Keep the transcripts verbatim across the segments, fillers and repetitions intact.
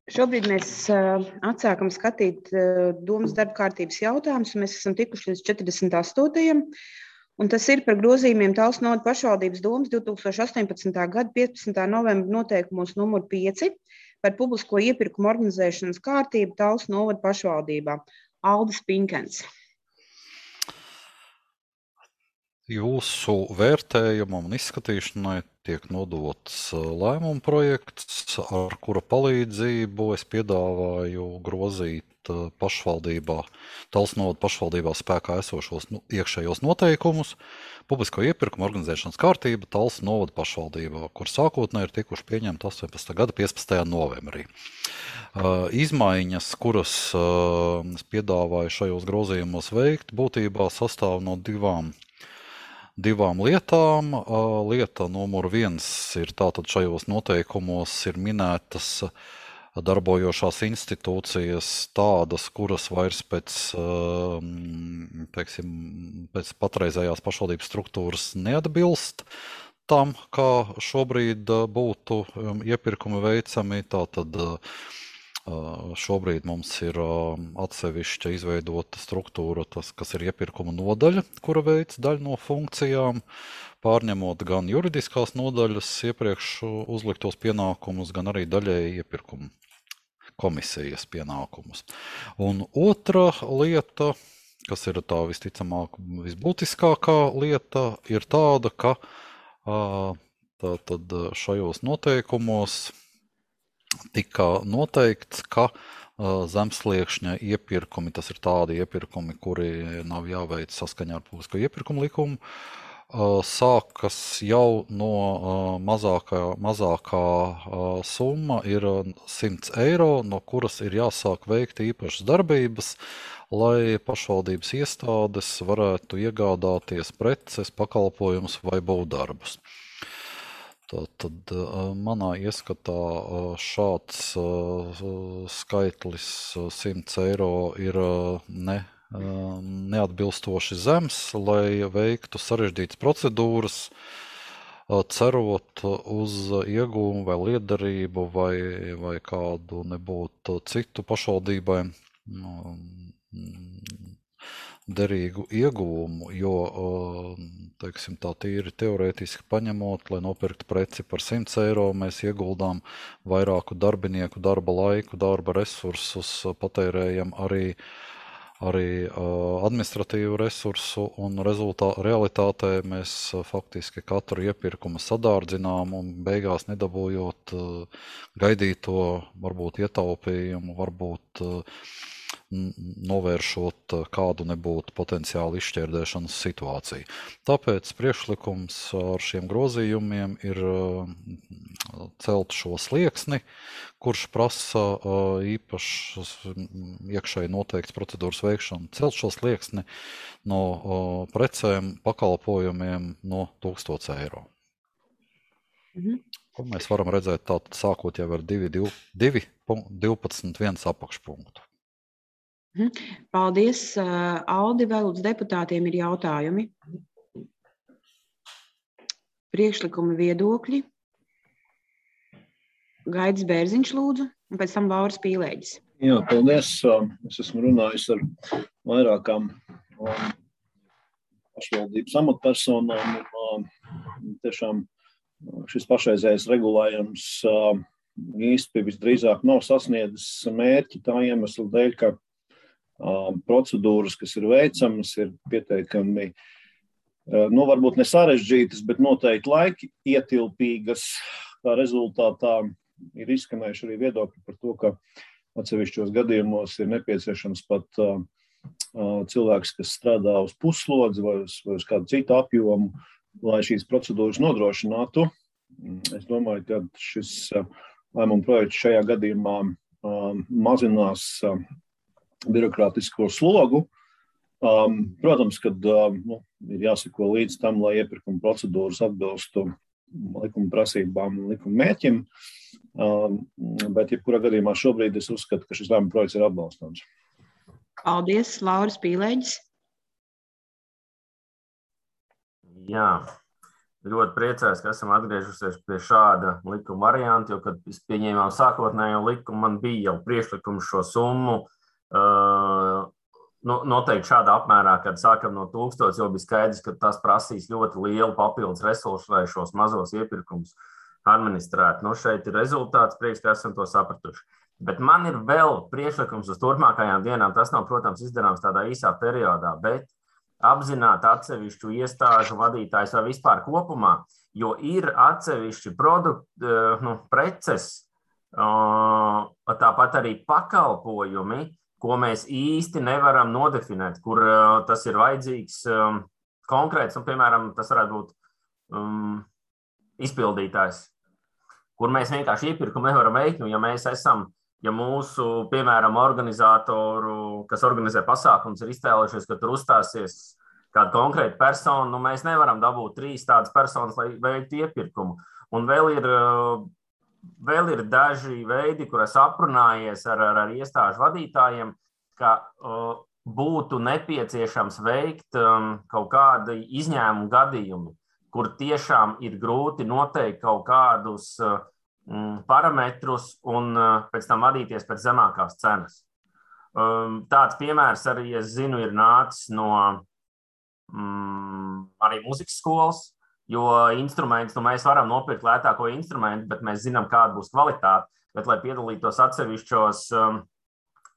Šobrīd mēs uh, atsākam skatīt uh, domas darba kārtības jautājumus, un mēs esam tikuši līdz četrdesmit astotajam Un tas ir par grozījumiem Talsu novada pašvaldības domas divs tūkstoši astoņpadsmitā gada piecpadsmitā novembra noteikumos numur pieci par publisko iepirkumu organizēšanas kārtību Talsu novada pašvaldībā. Aldis Pinkens. Jūsu vērtējumam un izskatīšanai tiek nodots lēmuma projekts, ar kura palīdzību es piedāvāju grozīt pašvaldībā, Talsu novada pašvaldībā spēkā esošos nu, iekšējos noteikumus, publisko iepirkumu organizēšanas kārtība Talsu novada pašvaldībā, kur sākotnēji ir tikuši pieņemti astoņpadsmitā gada piecpadsmitajā novembrī. Uh, izmaiņas, kuras uh, es piedāvāju šajos grozījumos veikt, būtībā sastāv no divām divām lietām. Lieta numur viens ir tātad šajos noteikumos ir minētas darbojošās institūcijas tādas, kuras vairs pēc, teiksim, pēc patreizējās pašvaldības struktūras neatbilst tam, kā šobrīd būtu iepirkumi veicami. Tātad šobrīd mums ir atsevišķa izveidota struktūra, tas, kas ir iepirkuma nodaļa, kura veic daļu no funkcijām, pārņemot gan juridiskās nodaļas iepriekš uzliktos pienākumus, gan arī daļēji iepirkuma komisijas pienākumus. Un otra lieta, kas ir tā visticamāk visbūtiskākā lieta, ir tāda, ka tātad šajos noteikumos tika noteikts, ka uh, zemsliekšņa iepirkumi, tas ir tādi iepirkumi, kuri nav jāveic saskaņā ar publisko iepirkumu likumu, uh, sākas jau no uh, mazākā, mazākā uh, summa ir simts eiro, no kuras ir jāsāk veikt īpašas darbības, lai pašvaldības iestādes varētu iegādāties preces, pakalpojumus vai būvdarbus. Tad manā ieskatā šāds skaitlis simts eiro ir ne, neatbilstoši zems, lai veiktu sarežģītas procedūras, cerot uz iegūmu vai lietderību vai, vai kādu nebūtu citu pašvaldībai derīgu iegūmu, jo, teiksim, tā tīri teorētiski paņemot, lai nopirktu preci par simts eiro, mēs ieguldām vairāku darbinieku darba laiku, darba resursus, patērējam arī, arī administratīvu resursu, un rezultā, realitātē mēs faktiski katru iepirkumu sadārdzinām un beigās nedabūjot gaidīto, varbūt ietaupījumu, varbūt novēršot kādu nebūtu potenciāli izšķērdēšanas situāciju. Tāpēc priekšlikums ar šiem grozījumiem ir celt šo slieksni, kurš prasa īpašas iekšēji noteikts procedūras veikšanu, celt šo slieksni no precēm, pakalpojumiem no tūkstots eiro. Mhm. Ko mēs varam redzēt tātad sākot jau ar divi divpadsmit viens apakšpunktu. Paldies, Aldi. Vēl uz deputātiem ir jautājumi. Priekšlikumi, viedokļi. Gaidis Bērziņš lūdzu, un pēc tam Lauris Pīlēģis. Jā, paldies. Es esmu runājis ar vairākām pašvaldības amatpersonām. Tiešām šis pašreizējais regulējums īsti visdrīzāk nav sasniedzis mērķi tā iemesla dēļ, ka procedūras, kas ir veicamas, ir pietiekami, nu, varbūt ne sarežģītas, bet noteikti laiki ietilpīgas. Tā rezultātā ir izskanējuši arī viedokļi par to, ka atsevišķos gadījumos ir nepieciešams pat uh, cilvēks, kas strādā uz puslodzi vai uz, vai uz kādu citu apjomu, lai šīs procedūras nodrošinātu. Es domāju, ka šis uh, lēmuma projekts šajā gadījumā uh, mazinās uh, birokrātisko slogu. Um, protams, kad um, nu, ir jāsako līdz tam, lai iepirkuma procedūras atbilstu likuma prasībām un likuma mērķim, um, bet jebkurā gadījumā šobrīd es uzskatu, ka šis lēmuma projekts ir atbalstāms. Paldies, Lauris Pīlēģis. Jā, ļoti priecājos, ka esam atgriežusies pie šāda likuma varianta, jo, kad pieņēmām sākotnējo likumu, man bija jau priekšlikums šo summu uh, noteikti šādā apmērā, kad sākam no tūkstotis, jo bija skaidrs, ka tas prasīs ļoti lielu papildus resursu, lai šos mazos iepirkumus administrētu. Nu, šeit ir rezultāts, prieks, ka esam to sapratuši. Bet man ir vēl priekšlikums uz turpmākajām dienām. Tas nav, protams, izdarāms tādā īsā periodā, bet apzināt atsevišķu iestāžu vadītājus vai vispār kopumā, jo ir atsevišķi produkti, nu, preces, tāpat arī pakalpojumi, ko mēs īsti nevaram nodefinēt, kur tas ir vajadzīgs konkrēts, un, piemēram, tas varētu būt um, izpildītājs, kur mēs vienkārši iepirkumu nevaram veikt, ja mēs esam, ja mūsu, piemēram, organizātoru, kas organizē pasākums, ir iztēlojušies, ka tur uzstāsies kāda konkrēta persona, nu mēs nevaram dabūt trīs tādas personas, lai veiktu iepirkumu. Un vēl ir, vēl ir daži veidi, kur es aprunājies ar, ar, ar iestāžu vadītājiem, ka uh, būtu nepieciešams veikt um, kaut kādi izņēmumu gadījumi, kur tiešām ir grūti noteikt kaut kādus uh, parametrus un pēc tam vadīties pēc zemākās cenas. Tāds piemērs arī, es zinu, ir nācis no mm, arī mūzikas skolas, jo instruments, nu mēs varam nopirkt lētāko instrumentu, bet mēs zinām, kāda būs kvalitāte, bet, lai piedalītos atsevišķos um,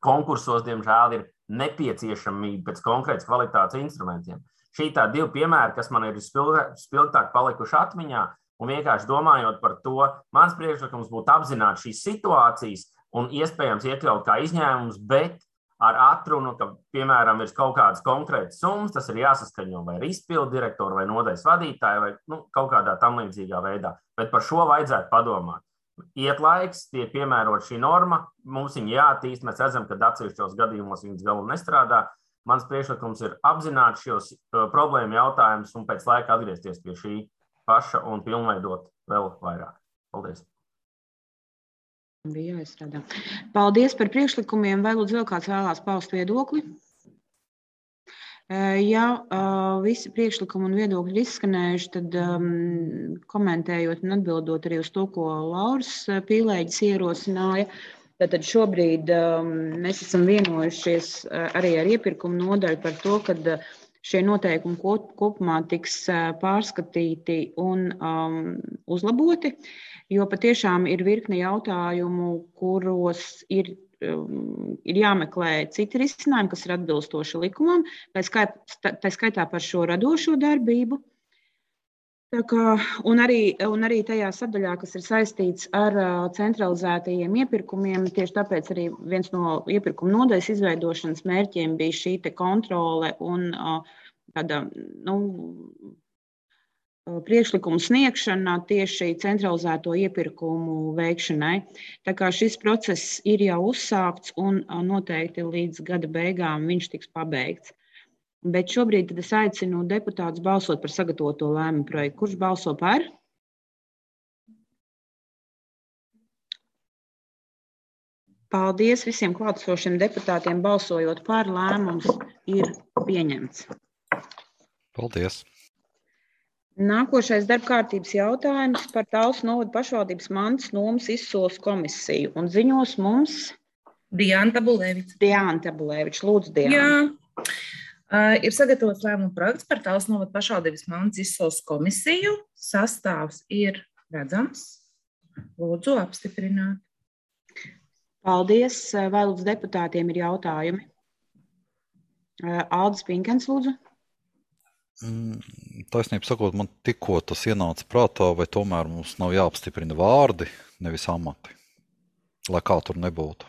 konkursos, diemžēl, ir nepieciešamība pēc konkrētas kvalitātes instrumentiem. Šī tā divi piemēri, kas man ir spilgtāk palikuši atmiņā, un vienkārši domājot par to, mans priekšlikums būtu apzināt šīs situācijas un iespējams iekļaut kā izņēmums, bet ar atrunu, ka, piemēram, ir kaut kādas konkrētas summas, tas ir jāsaskaņo vai ar izpildu direktoru vai nodaļas vadītāju vai nu, kaut kādā tam līdzīgā veidā. Bet par šo vajadzētu padomāt. Iet laiks, tiek piemērot šī norma, mums viņa jāattīst, mēs redzam, ka atsevišķos gadījumos viņas galu nestrādā. Mans priekšlikums ir apzināt šos uh, problēmu jautājumus un pēc laika atgriezties pie šī paša un pilnveidot vēl vairāk. Paldies. Bija jāizstrādā. Paldies par priekšlikumiem. Vai lūdzu vēl kāds vēlās paust viedokli? Ja visi priekšlikumi un viedokļi ir izskanējuši, tad um, komentējot un atbildot arī uz to, ko Lauris Pīlēģis ierosināja, tad šobrīd um, mēs esam vienojušies arī ar iepirkumu nodaļu par to, ka šie noteikumi kopumā tiks pārskatīti un um, uzlaboti, jo patiešām ir virkne jautājumu, kuros ir, um, ir jāmeklē citi risinājumi, kas ir atbilstoši likumam, tā skaitā par šo radošo darbību. Tā kā, un, arī, un arī tajā sadaļā, kas ir saistīts ar uh, centralizētajiem iepirkumiem, tieši tāpēc arī viens no iepirkuma nodaļas izveidošanas mērķiem bija šī te kontrole un uh, tāda, nu, priekšlikumu sniegšana tieši centralizēto iepirkumu veikšanai. Tā kā šis process ir jau uzsākts un uh, noteikti līdz gada beigām viņš tiks pabeigts. Bet šobrīd tad es aicinu deputātus balsot par sagatavoto lēmumu projektu. Kurš balso par? Paldies visiem klātesošiem deputātiem. Balsojot par, lēmums ir pieņemts. Paldies. Nākošais darba kārtības jautājums par Talsu novada pašvaldības mantas nomas izsoles komisiju. Un ziņos mums Diana Tabulēviča. Diana Tabulēviča. Lūdzu, Diana. Jā. Uh, ir sagatavots lēmuma projekts par Talsu novada pašvaldības mantas izsoles komisiju. Sastāvs ir redzams. Lūdzu, apstiprināt. Paldies. Vai lūdzu deputātiem ir jautājumi? Aldis Pinkens, lūdzu. Taisnība sakot, man tikko tas ienāca prātā, vai tomēr mums nav jāapstiprina vārdi, nevis amati, lai kā tur nebūtu.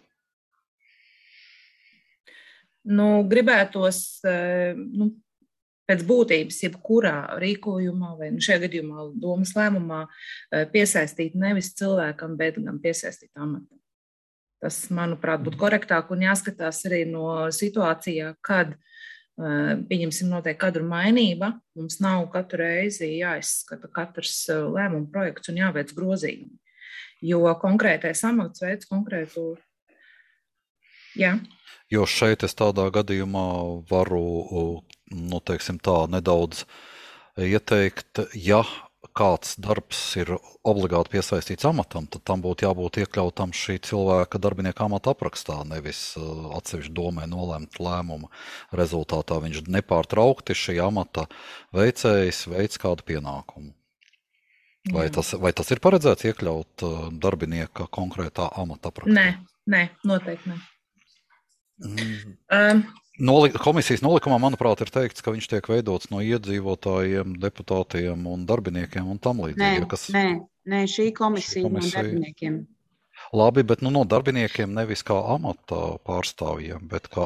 Nu, gribētos, nu, pēc būtības, jebkurā rīkojumā vai nu šajā gadījumā domas lēmumā piesaistīt nevis cilvēkam, bet gan piesaistīt amatam. Tas, manuprāt, būtu korektāk un jāskatās arī no situācijā, kad pieņemsim noteikti kadru mainība, mums nav katru reizi jāizskata katrs lēmuma projekts un jāveic grozījumi, jo konkrētais amats veids konkrētu, jā. Jo šeit es tādā gadījumā varu, nu, teiksim tā, nedaudz ieteikt, ja kāds darbs ir obligāti piesaistīts amatam, tad tam būtu jābūt iekļautam šī cilvēka darbinieka amata aprakstā, nevis atsevišķi domē nolēmt lēmumu rezultātā. Viņš nepārtraukti šī amata veicējs veic kādu pienākumu. Vai tas, vai tas ir paredzēts iekļaut darbinieka konkrētā amata aprakstā? Nē, nē, noteikti ne. Mm. Um, Noli, komisijas nolikumā, manuprāt, ir teikts, ka viņš tiek veidots no iedzīvotājiem, deputātiem un darbiniekiem un tam līdzīgi. Nē, kas... nē, nē, šī komisija, šī komisija... no darbiniekiem. Labi, bet nu, no darbiniekiem nevis kā amata pārstāvjiem, bet kā,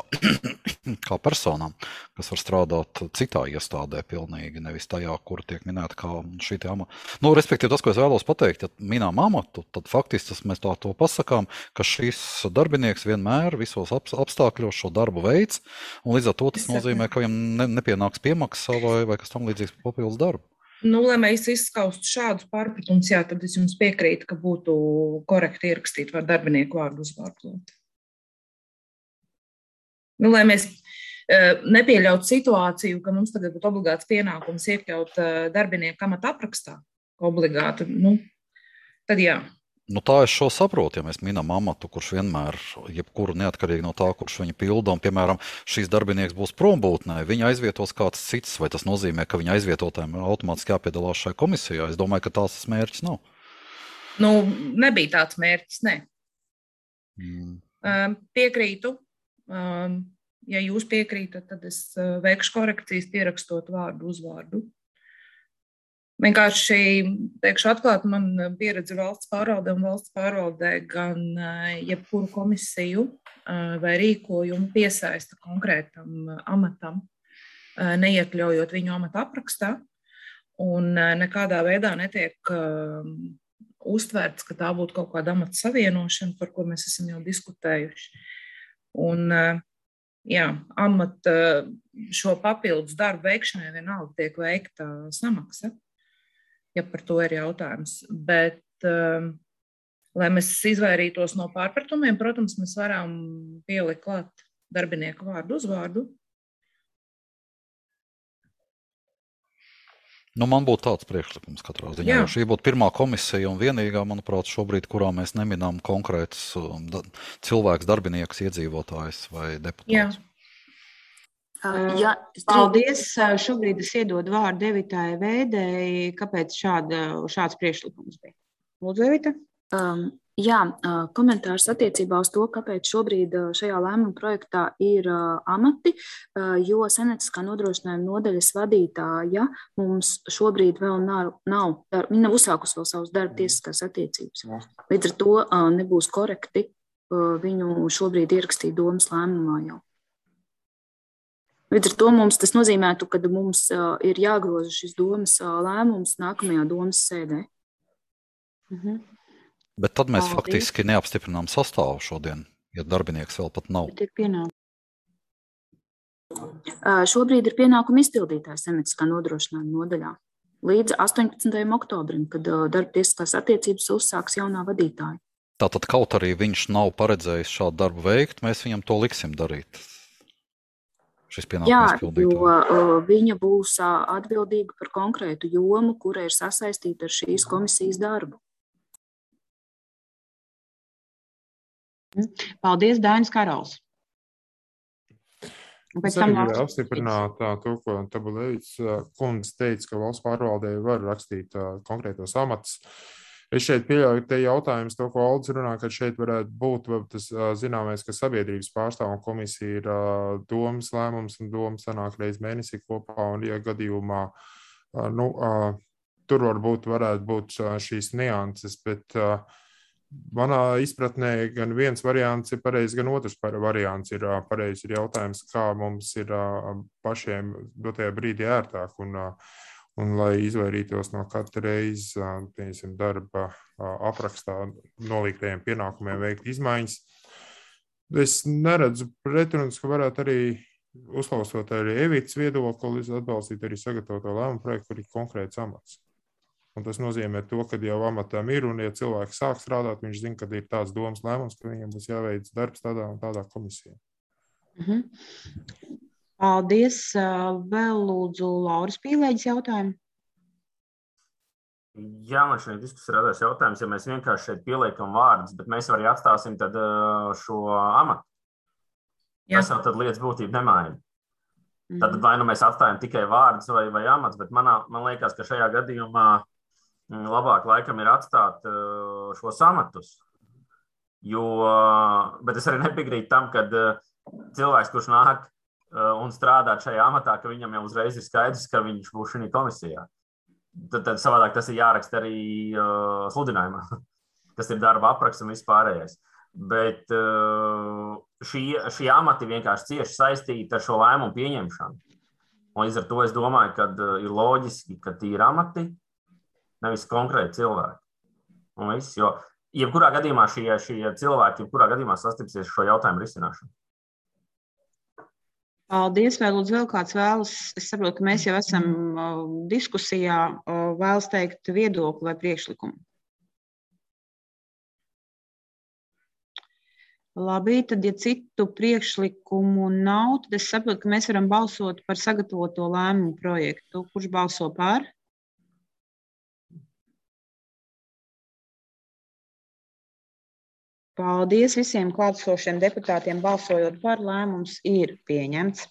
kā personām, kas var strādāt citā iestādē pilnīgi, nevis tajā, kur tiek minēta kā šī te amata. Nu, respektīvi, tas, ko es vēlos pateikt, ja minām amatu, tad faktiski tas mēs tā to pasakām, ka šis darbinieks vienmēr visos apstākļos šo darbu veids, un līdz ar to tas nozīmē, ka viņam ne, nepienāks piemaksa vai, vai kas tam līdzīgs papildus darbu. Nu, lai mēs izskaustu šādus pārpratumus, jā, tad es jums piekrītu, ka būtu korekti ierakstīt var darbinieku vārdu uzvārdu. Nu, lai mēs uh, nepieļautu situāciju, ka mums tagad būtu obligāts pienākums iekļaut uh, darbinieku amata aprakstā, obligāti, nu, tad jā. Nu, tā es šo saprotu, ja mēs minam amatu, kurš vienmēr, jebkuru neatkarīgi no tā, kurš viņu pilda, un, piemēram, šīs darbinieks būs prombūtnē, viņa aizvietos kāds cits, vai tas nozīmē, ka viņa aizvietotājiem automātiski jāpiedalās šai komisijā? Es domāju, ka tās tas mērķis nav. Nu, nebija tāds mērķis, ne. Mm. Um, piekrītu. Um, ja jūs piekrītat, tad es uh, veikšu korekcijas pierakstot vārdu uzvārdu. Vienkārši, teikšu atklāt, man pieredze valsts pārvaldē un valsts pārvaldē gan jebkuru komisiju vai rīkojumu piesaista konkrētam amatam, neiekļaujot viņu amata aprakstā, un nekādā veidā netiek uztverts, ka tā būtu kaut kāda amata savienošana, par ko mēs esam jau diskutējuši. Un, jā, amata šo papildus darbu veikšanai vienalga tiek veikta samaksa, ja par to ir jautājums. Bet, um, lai mēs izvairītos no pārpratumiem, protams, mēs varam pielikt klāt darbinieku vārdu uzvārdu. Nu, man būtu tāds priekšlikums katrā ziņā. Jā. Jo šī būtu pirmā komisija un vienīgā, manuprāt, šobrīd, kurā mēs neminām konkrētus da, cilvēks, darbinieks, iedzīvotājs vai deputāts. Jā. Jā, paldies. Šobrīd es iedodu vārdu Evitai Vēdei. Kāpēc šāda, šāds priekšlikums bija? Lūdzu, Evita. Um, jā, komentārs attiecībā uz to, kāpēc šobrīd šajā lēmuma projektā ir uh, amati, uh, jo senetiskā nodrošinājuma nodaļas vadītāja mums šobrīd vēl nav, nav dar, viņa nav uzsākusi vēl savus darba tiesiskās attiecības. Līdz ar to uh, nebūs korekti uh, viņu šobrīd ierakstīt domas lēmumā jau. Līdz ar to mums tas nozīmētu, ka mums uh, ir jāgroza šis domas uh, lēmums nākamajā domas sēdē. Mhm. Bet tad mēs Paldies. faktiski neapstiprinām sastāvu šodien, ja darbinieks vēl pat nav. Bet ir pienākums. Uh, šobrīd ir pienākuma izpildītājs senetiskā nodrošinājuma nodaļā līdz astoņpadsmitajam oktobrim, kad uh, darba tiesiskās attiecības uzsāks jaunā vadītāja. Tātad kaut arī viņš nav paredzējis šādu darbu veikt, mēs viņam to liksim darīt. Jā, jo uh, viņa būs uh, atbildīga par konkrētu jomu, kura ir sasaistīta ar šīs komisijas darbu. Paldies, Dainis Karals. Es arī gribēju apstiprināt to, ko Tabulevics kundze teica, ka valsts pārvaldē var rakstīt uh, konkrētos amatus. Es šeit pieļauju te jautājums, to, ko Aldis runā, ka šeit varētu būt tas zināmais, ka sabiedrības pārstāvuma komisija ir domas lēmums un doma sanāk reiz mēnesī kopā, un ja gadījumā, nu, tur varbūt varētu būt šīs nianses, bet manā izpratnē gan viens variants ir pareizs, gan otrs variants ir pareizs. Ir jautājums, kā mums ir pašiem dotajā brīdī ērtāk, un Un, lai izvairītos no katra reizi piemēram, darba aprakstā nolīgtajiem pienākumiem veikt izmaiņas, es neredzu pretrunas, ka varētu arī uzklausot arī Evitas viedokli, atbalstīt arī sagatavoto lēmumu projektu, kur ir konkrēts amats. Un tas nozīmē to, ka jau amatam ir, un ja cilvēks sāk strādāt, viņš zina, ka ir tāds domas lēmums, ka viņam būs jāveic darbs tādā un tādā komisijā. Mhm. Paldies. Vēl lūdzu Lauras Pīlēģis jautājumu. Jā, man šeit diskusija radās jautājums, ja mēs vienkārši šeit pieliekam vārdus, bet mēs arī atstāsim tad šo amatu. Jā. Tas jau tad lietas būtību nemaina. Mm. Tad vai nu mēs atstājam tikai vārdus vai, vai amats, bet manā, man liekas, ka šajā gadījumā labāk laikam ir atstāt šos amatus. Jo, bet es arī nepiekrītu tam, ka cilvēks, kurš nāk un strādāt šajā amatā, ka viņam jau uzreiz ir skaidrs, ka viņš būs šī komisijā. Tad, tad savādāk tas ir jāraksta arī uh, sludinājumā, kas ir darba apraksts un vispārējais. Bet uh, šī, šī amati vienkārši cieši saistīta ar šo lēmumu pieņemšanu. Un līdz ar to es domāju, ka uh, ir loģiski, ka tie ir amati, nevis konkrēti cilvēki. Un viss, jo jebkurā gadījumā šie, šie cilvēki, jebkurā gadījumā sastipsies šo jautājumu risināšanu. Paldies, vai lūdzu vēl kāds vēlas, es saprotu, ka mēs jau esam uh, diskusijā, uh, vēlas teikt viedokli vai priekšlikumu. Labi, tad, ja citu priekšlikumu nav, tad es saprotu, ka mēs varam balsot par sagatavoto lēmumu projektu. Kurš balso par? Paldies visiem klātesošiem deputātiem, balsojot par, lēmums ir pieņemts.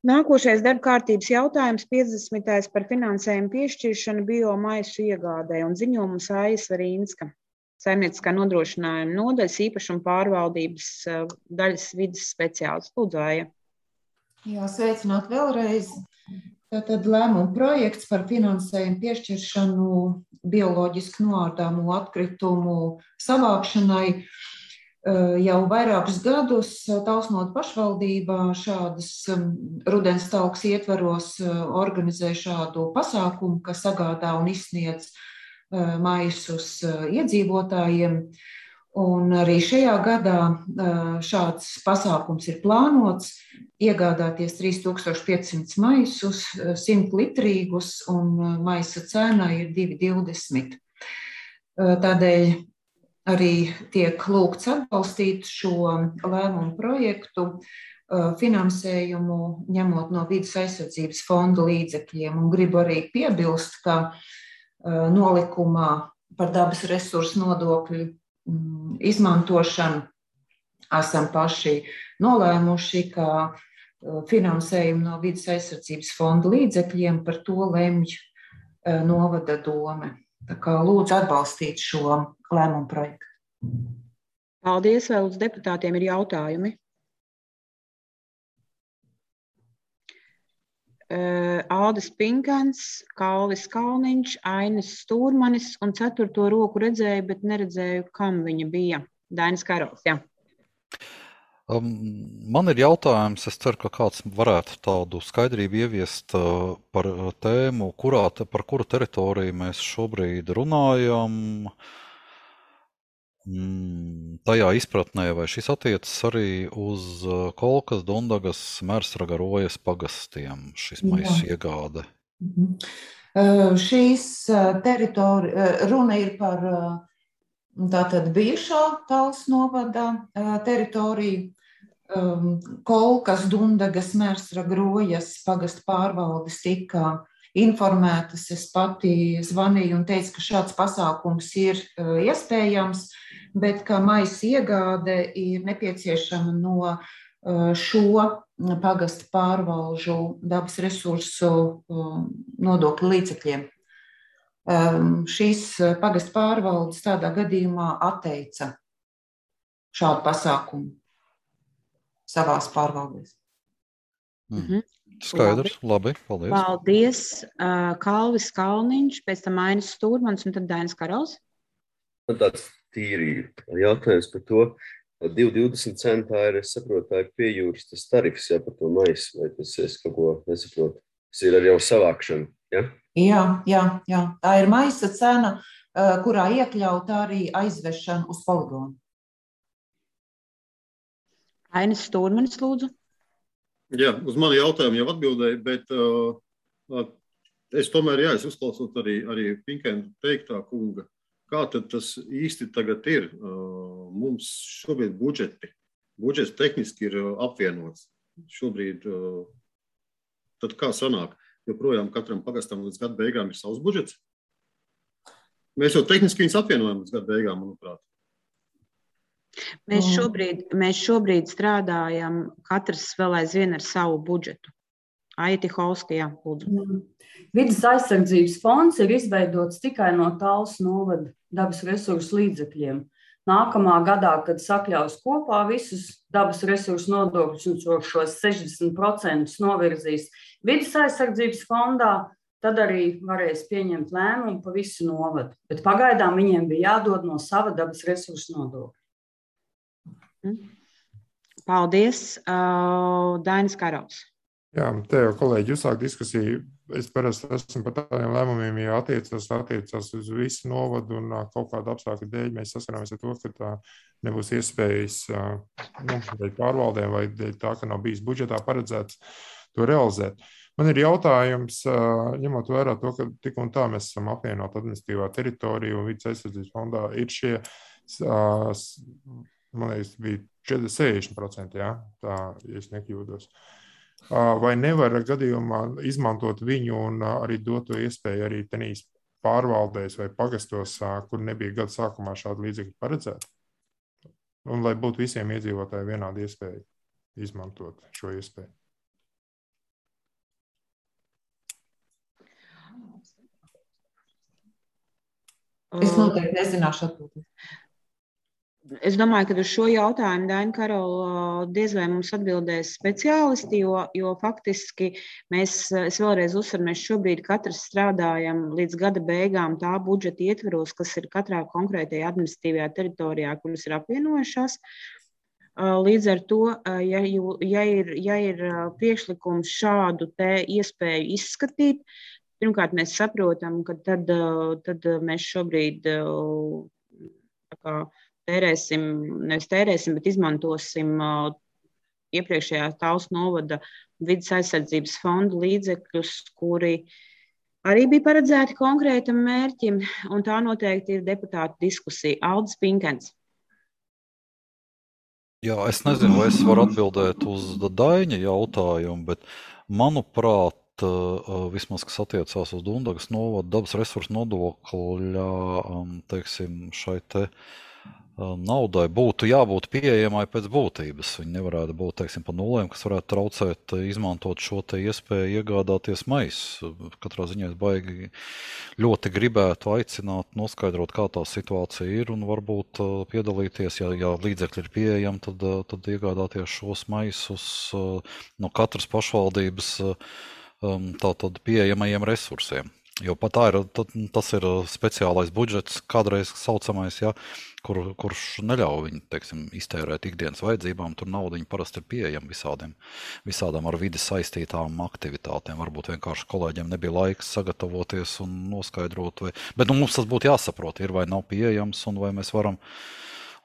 Nākošais darba kārtības jautājums piecdesmitais par finansējumu piešķiršanu biomaisu iegādē un ziņojums Aija Svarīnska, saimnieciskā nodrošinājuma nodaļas īpašuma pārvaldības daļas vides speciālists. Lūdzu, Aija. Jā, sveicināt vēlreiz. Tātad lēmuma projekts par finansējumu piešķiršanu bioloģiski noārdāmo atkritumu savākšanai jau vairākus gadus Tausnotu pašvaldībā šādas rudens talks ietvaros organizē šādu pasākumu, kas sagādā un izsniedz maisus iedzīvotājiem. Un arī šajā gadā šāds pasākums ir plānots iegādāties trīs tūkstoši piecsimt maisus, simt litrīgus, un maisa cena ir divi divdesmit. Tādēļ arī tiek lūgts atbalstīt šo lēmumu projektu finansējumu, ņemot no vides aizsardzības fonda līdzekļiem. Un gribu arī piebilst, ka nolikumā par dabas resursu nodokļu izmantošanu esam paši nolēmuši, ka finansējumu no vides aizsardzības fonda līdzekļiem par to lemj novada dome. Tā kā lūdzu atbalstīt šo lēmumu projektu. Paldies, vēl uz deputātiem ir jautājumi. Aldis Pinkans, Kalvis Kalniņš, Ainis Stūrmanis un ceturto roku redzēju, bet neredzēju, kam viņa bija. Dainis Karols, jā. Um, man ir jautājums, es ceru, ka kāds varētu tādu skaidrību ieviest uh, par tēmu, kurā, par kuru teritoriju mēs šobrīd runājam. Mm, tajā izpratnē, vai šis attiecas arī uz Kolkas, Dundagas, Mērsraga, Rojas pagastiem, šis maisu iegāde? Mhm. Šīs teritorija, runa ir par tātad bijušā Tals novada teritoriju. Kolkas, Dundagas, Mērsraga, Rojas pagasta pārvaldes tika informētas. Es pati zvanīju un teicu, ka šāds pasākums ir iespējams, bet ka maisa iegāde ir nepieciešama no šo pagasta pārvalžu dabas resursu nodokļu līdzekļiem. Šīs pagasta pārvaldes tādā gadījumā atteica šādu pasākumu savās pārvaldēs. Mhm. Skaidrs, labi, paldies. Paldies, Kalvis Kalniņš, pēc tam Ainis Stūrmans un tad Dainis Karols. Man tāds tīri jautājums par to. divi divdesmit centā ir, es saprotu, tā ir pie jūras tas tarifs, jā, par to maisu, vai tas es kaut ko nesaprotu. Tas ir ar jau savākšanu, jā? Jā, jā, jā. Tā ir maisa cena, kurā iekļauta arī aizvešana uz poligonu. Ainis Stūrmanis, lūdzu. Jā, uz mani jautājumu jau atbildēju, bet uh, es tomēr, jā, es uzklausot arī, arī Pinkēna teiktā kunga, kā tad tas īsti tagad ir. Uh, mums šobrīd budžeti, budžets tehniski ir apvienots. Šobrīd, uh, tad kā sanāk, joprojām katram pagastam līdz gada beigām ir savs budžets? Mēs jau tehniski viņus apvienojam līdz gada beigām, manuprāt. Mēs šobrīd, mēs šobrīd strādājam katrs vēl aizvien ar savu budžetu. Aiti Holska, jā, lūdzu. Vides aizsardzības fonds ir izveidots tikai no Talsu novada dabas resursu līdzekļiem. Nākamā gadā, kad sakļaus kopā visus dabas resursu nodokļus un šos sešdesmit procentus novirzīs vides aizsardzības fondā, tad arī varēs pieņemt lēmumu pa visu novadu. Bet pagaidām viņiem bija jādod no sava dabas resursu nodokļa. Paldies. Uh, Dainis Karauts. Jā, te jau kolēģi uzsāk diskusiju. Es parasti esmu par tādiem lēmumiem, ja attiecas, attiecas uz visu novadu un kaut kādu apstākļu dēļ mēs saskaramies ar to, ka tā nebūs iespējas nu, dēļ pārvaldēm vai dēļ tā, ka nav bijis budžetā paredzēts to realizēt. Man ir jautājums, ņemot vērā to, ka tik un tā mēs esam apvienot administratīvā teritoriju un vidas aizsardzības fondā, ir šie, man liekas, bija sešdesmit procenti, jā, tā, ja es nekļūdos. Vai nevar gadījumā izmantot viņu un arī dot to iespēju arī tenīs pārvaldēs vai pagastos, kur nebija gada sākumā šādi līdzekļi paredzēti? Un lai būtu visiem iedzīvotājiem vienāda iespēja izmantot šo iespēju. Es noteikti nezināšu atbildēt. Es domāju, ka uz šo jautājumu, Daina Karola, diez vai mums atbildēs speciālisti, jo, jo faktiski mēs, es vēlreiz uzsveru, mēs šobrīd katrs strādājam līdz gada beigām tā budžeta ietveros, kas ir katrā konkrētajā administratīvajā teritorijā, kuras ir apvienojušās. Līdz ar to, ja, ja, ir, ja ir priekšlikums šādu te iespēju izskatīt, pirmkārt mēs saprotam, ka tad, tad mēs šobrīd tā kā tērēsim, nevis tērēsim, bet izmantosim uh, iepriekšējā Talsu novada vides aizsardzības fonda līdzekļus, kuri arī bija paredzēti konkrētam mērķim, un tā noteikti ir deputātu diskusija. Aldis Pinkens. Jā, es nezinu, vai es varu atbildēt uz Daiņa jautājumu, bet manuprāt, uh, vismaz, kas attiecās uz Dundagas novada dabas resursu nodokļa, um, teiksim, šai te naudai būtu jābūt pieejamai pēc būtības. Viņi nevarētu būt, teiksim, pa nulēm, kas varētu traucēt izmantot šo te iespēju iegādāties maisu. Katrā ziņā es baigi ļoti gribētu aicināt, noskaidrot, kā tā situācija ir un varbūt piedalīties, ja, ja līdzekļi ir pieejami, tad, tad iegādāties šos maisus no katras pašvaldības tātad pieejamajiem resursiem. Jo pat tā ir, tas ir speciālais budžets, kādreiz saucamais, ja, kur, kurš neļauj viņu, teiksim, iztērēt ikdienas vajadzībām. Tur nauda parasti ir pieejama visādiem, visādām ar vides saistītām aktivitātēm. Varbūt vienkārši kolēģiem nebija laiks sagatavoties un noskaidrot. Vai, bet nu, mums tas būtu jāsaprot, ir vai nav pieejams un vai mēs varam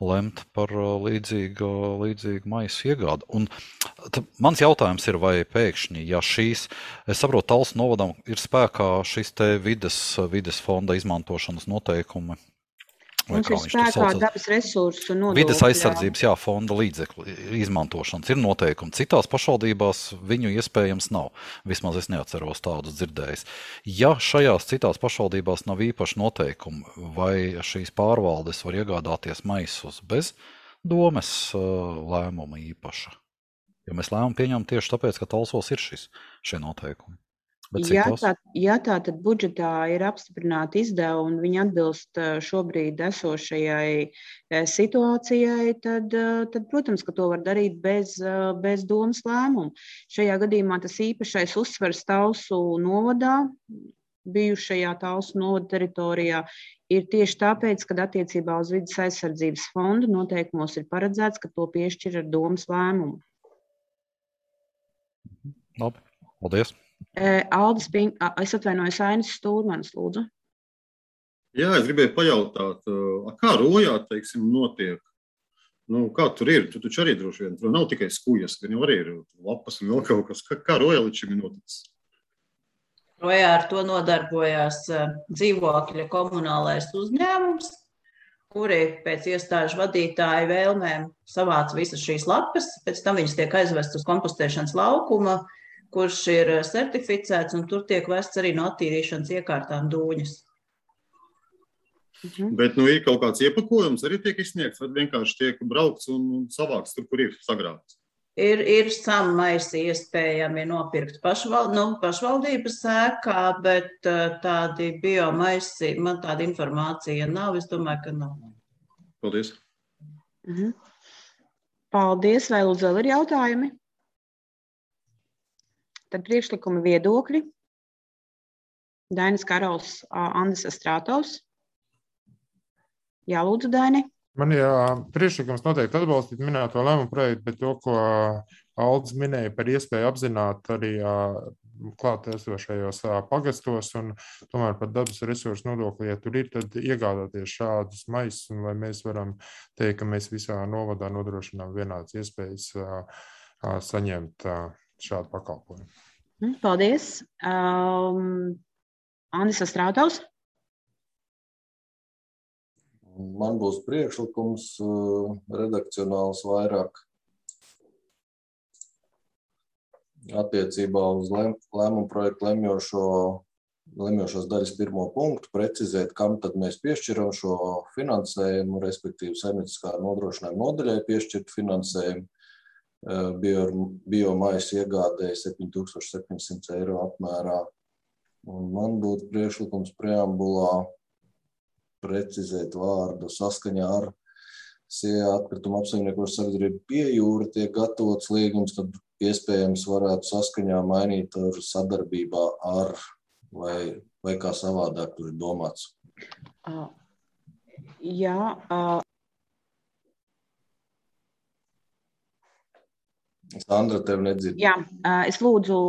lemt par līdzīgu, līdzīgu maisu iegādu. Un t, mans jautājums ir, vai pēkšņi, ja šīs, es saprotu, Talsu novadam ir spēkā šis te vides, vides fonda izmantošanas noteikumi. Mums ir spēkā dabas resursu nodokļi. Vides aizsardzības, jā, fonda līdzekļu izmantošanas ir noteikumi. Citās pašvaldībās viņu iespējams nav. Vismaz es neatceros tādus dzirdējis. Ja šajās citās pašvaldībās nav īpaši noteikumi, vai šīs pārvaldes var iegādāties maisus bez domes lēmuma īpaša? Jo mēs lēmumu pieņemam tieši tāpēc, ka Talsos ir šis, šie noteikumi. Ja tā, ja tā tad budžetā ir apstiprināta izdevuma un viņi atbilst šobrīd esošajai situācijai, tad, tad, protams, ka to var darīt bez, bez domas lēmumu. Šajā gadījumā tas īpašais uzsvers Talsu novadā, bijušajā Talsu novada teritorijā, ir tieši tāpēc, kad attiecībā uz vides aizsardzības fondu noteikumos ir paredzēts, ka to piešķir ar domas lēmumu. Labi, paldies. Aldis Pink, es atvainojos, Ainis Stūrmanis, lūdzu. Jā, es gribēju pajautāt, kā rojā, teiksim, notiek? Nu, kā tur ir? Tu taču arī droši vien, tur nav tikai skujas, gan jau arī ir lapas un vēl kaut kas. Kā, kā rojā līdz šim ir noticis? Rojā ar to nodarbojās dzīvokļa komunālais uzņēmums, kuri pēc iestāžu vadītāju vēlmēm savāc visas šīs lapas, pēc tam viņas tiek aizvestas uz kompostēšanas laukuma, kurš ir certificēts, un tur tiek vests arī no attīrīšanas iekārtām dūņas. Mhm. Bet nu, ir kaut kāds iepakojums, arī tiek izsniegts, vai vienkārši tiek braukts un, un savāks tur, kur ir sagrābts? Ir, ir sammaisi iespējami nopirkt pašval, nu, pašvaldības ēkā, bet uh, tādi biomaisi, man tāda informācija nav, es domāju, ka nav. Paldies. Mhm. Paldies, vai lūdzu vēl ir jautājumi? Tad priekšlikumi viedokļi. Dainis Karals, Andis Astrātovs. Jā, lūdzu, Daini. Man ir priekšlikums noteikti atbalstīt minēto lēmumu projektu, bet to, ko Aldis minēja par iespēju apzināt arī klāt esošajos pagastos un tomēr par dabas resursu nodokli, ja tur ir, tad iegādāties šādus maisus, un lai mēs varam teikt, ka mēs visā novadā nodrošinām vienādas iespējas saņemt šādu pakalpojumu. Paldies. Um, Andis Astrātovs. Man būs priekšlikums redakcionāls vairāk attiecībā uz lēmumu projektu lemjošo, lemjošās daļas pirmo punktu, precizēt, kam tad mēs piešķiram šo finansējumu, respektīvi saimnieciskā nodrošinājuma nodaļai piešķirt finansējumu, bio, biomaisu iegādēja septiņi tūkstoši septiņsimt eiro apmērā. Un man būtu priekšlikums preambulā precizēt vārdu saskaņā ar Sijā atkrituma apsaimniekošanas sabiedrību Pie jūra tiek gatavots līgums, tad iespējams varētu saskaņā mainīt ar sadarbībā ar vai, vai kā savādāk tur ir domāts. Uh, jā. Uh... Sandra, tev nedzird. Jā, uh, es lūdzu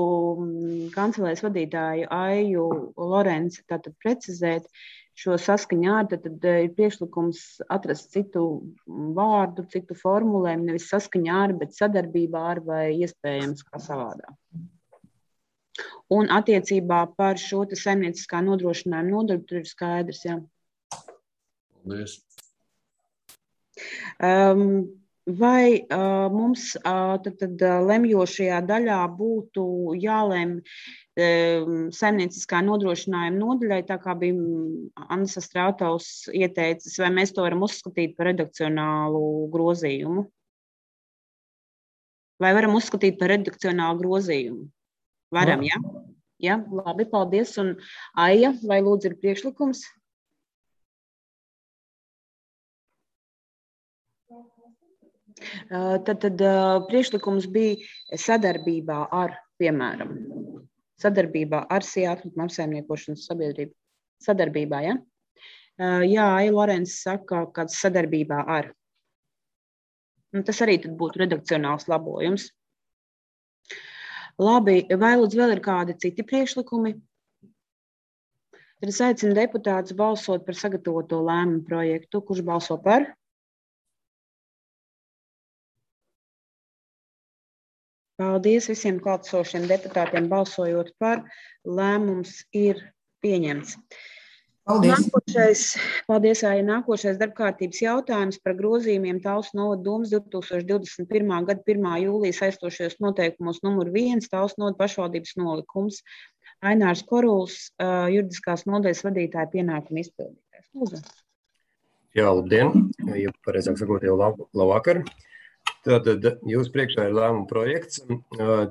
kancelēs vadītāju Aiju Lorenci tātad precizēt šo saskaņā ar, tad, tad ir priekšlikums atrast citu vārdu, citu formulēm, nevis saskaņā ar, bet sadarbībā ar vai iespējams kā savādāk. Un attiecībā par šo te saimnieciskā nodrošinājuma nodaļu tur ir skaidrs, jā. Paldies. Um, vai uh, mums uh, tad, tad lemjošajā daļā būtu jālem saimnieciskā nodrošinājuma nodaļai, tā kā bija Andis Astrātovs ieteicis, vai mēs to varam uzskatīt par redakcionālu grozījumu? Vai varam uzskatīt par redakcionālu grozījumu? Varam, jā? Jā, labi, paldies. Un Aija, vai lūdzu ir priekšlikums? Tad, tad priekšlikums bija sadarbībā ar, piemēram, sadarbībā ar Sijā atkrituma apsaimniekošanas sabiedrību. Sadarbībā, ja? Jā, Aija Lorenci saka, kāds sadarbībā ar. Un tas arī tad būtu redakcionāls labojums. Labi, vai lūdzu vēl ir kādi citi priekšlikumi? Tad es aicinu deputātus balsot par sagatavoto lēmumu projektu. Kurš balso par? Paldies visiem klātesošiem deputātiem balsojot par. Lēmums ir pieņemts. Paldies. Nākošais, paldies, Aija. Nākošais darbkārtības jautājums par grozījumiem Talsu novada domas divi tūkstoši divdesmit pirmā gada pirmā jūlija saistošajos noteikumos numur viens Talsu novada pašvaldības nolikums. Ainārs Koruls, juridiskās nodaļas vadītāja pienākuma izpildītājs. Lūdzu. Jā, labdien. Ja pareizāk sakot, jau labu, labvakar. Tātad jūs priekšā ir lēmuma projekts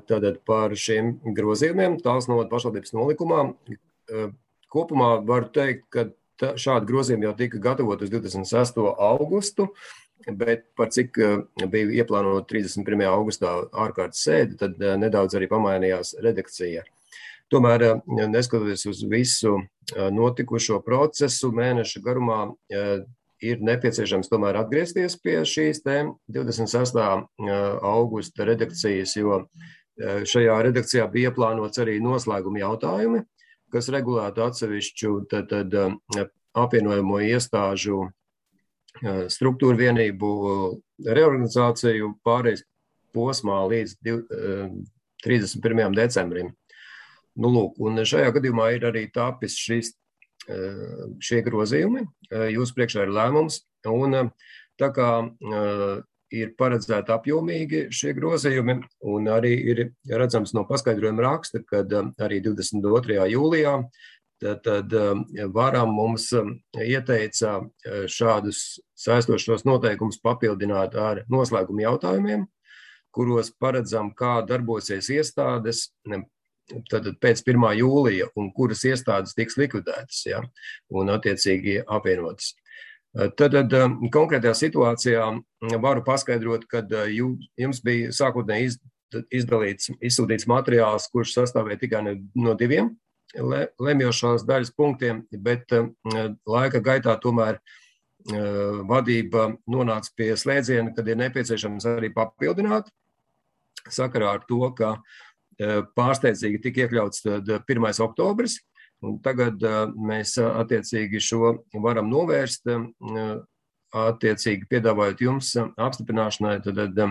tātad par šiem grozījumiem Talsu novada pašvaldības nolikumā. Kopumā varu teikt, ka tā, šādi grozījumi jau tika gatavot uz divdesmit sesto augustu, bet par cik bija ieplānota trīsdesmit pirmajā augustā ārkārtas sēde, tad nedaudz arī pamainījās redakcija. Tomēr, neskatoties uz visu notikušo procesu mēneša garumā, ir nepieciešams tomēr atgriezties pie šīs tēm divdesmit sestā augusta redakcijas, jo šajā redakcijā bija ieplānots arī noslēguma jautājumi, kas regulētu atsevišķu tad, tad, apvienojamo iestāžu struktūru vienību reorganizāciju pārējais posmā līdz trīsdesmit pirmajam decembrim. Nu, lūk, un šajā gadījumā ir arī tāpis šis šie grozījumi, jūs priekšā ir lēmums, un tā kā ir paredzēti apjomīgi šie grozījumi, un arī ir redzams no paskaidrojuma raksta, kad arī divdesmit otrajā jūlijā tad, tad varam mums ieteica šādus saistošos noteikumus papildināt ar noslēguma jautājumiem, kuros paredzam, kā darbosies iestādes tad pēc pirmā jūlija un kuras iestādes tiks likvidētas, ja, un attiecīgi apvienotas. Tad, tad konkrētajā situācijā varu paskaidrot, ka jums bija sākotnēji izdalīts, izsūtīts materiāls, kurš sastāvēja tikai no diviem lemjošās daļas punktiem, bet laika gaitā tomēr vadība nonāca pie slēdziena, kad ir nepieciešams arī papildināt, sakarā ar to, ka pārsteidzīgi tika iekļauts pirmais oktobris, un tagad mēs attiecīgi šo varam novērst, attiecīgi piedāvājot jums apstiprināšanai, tad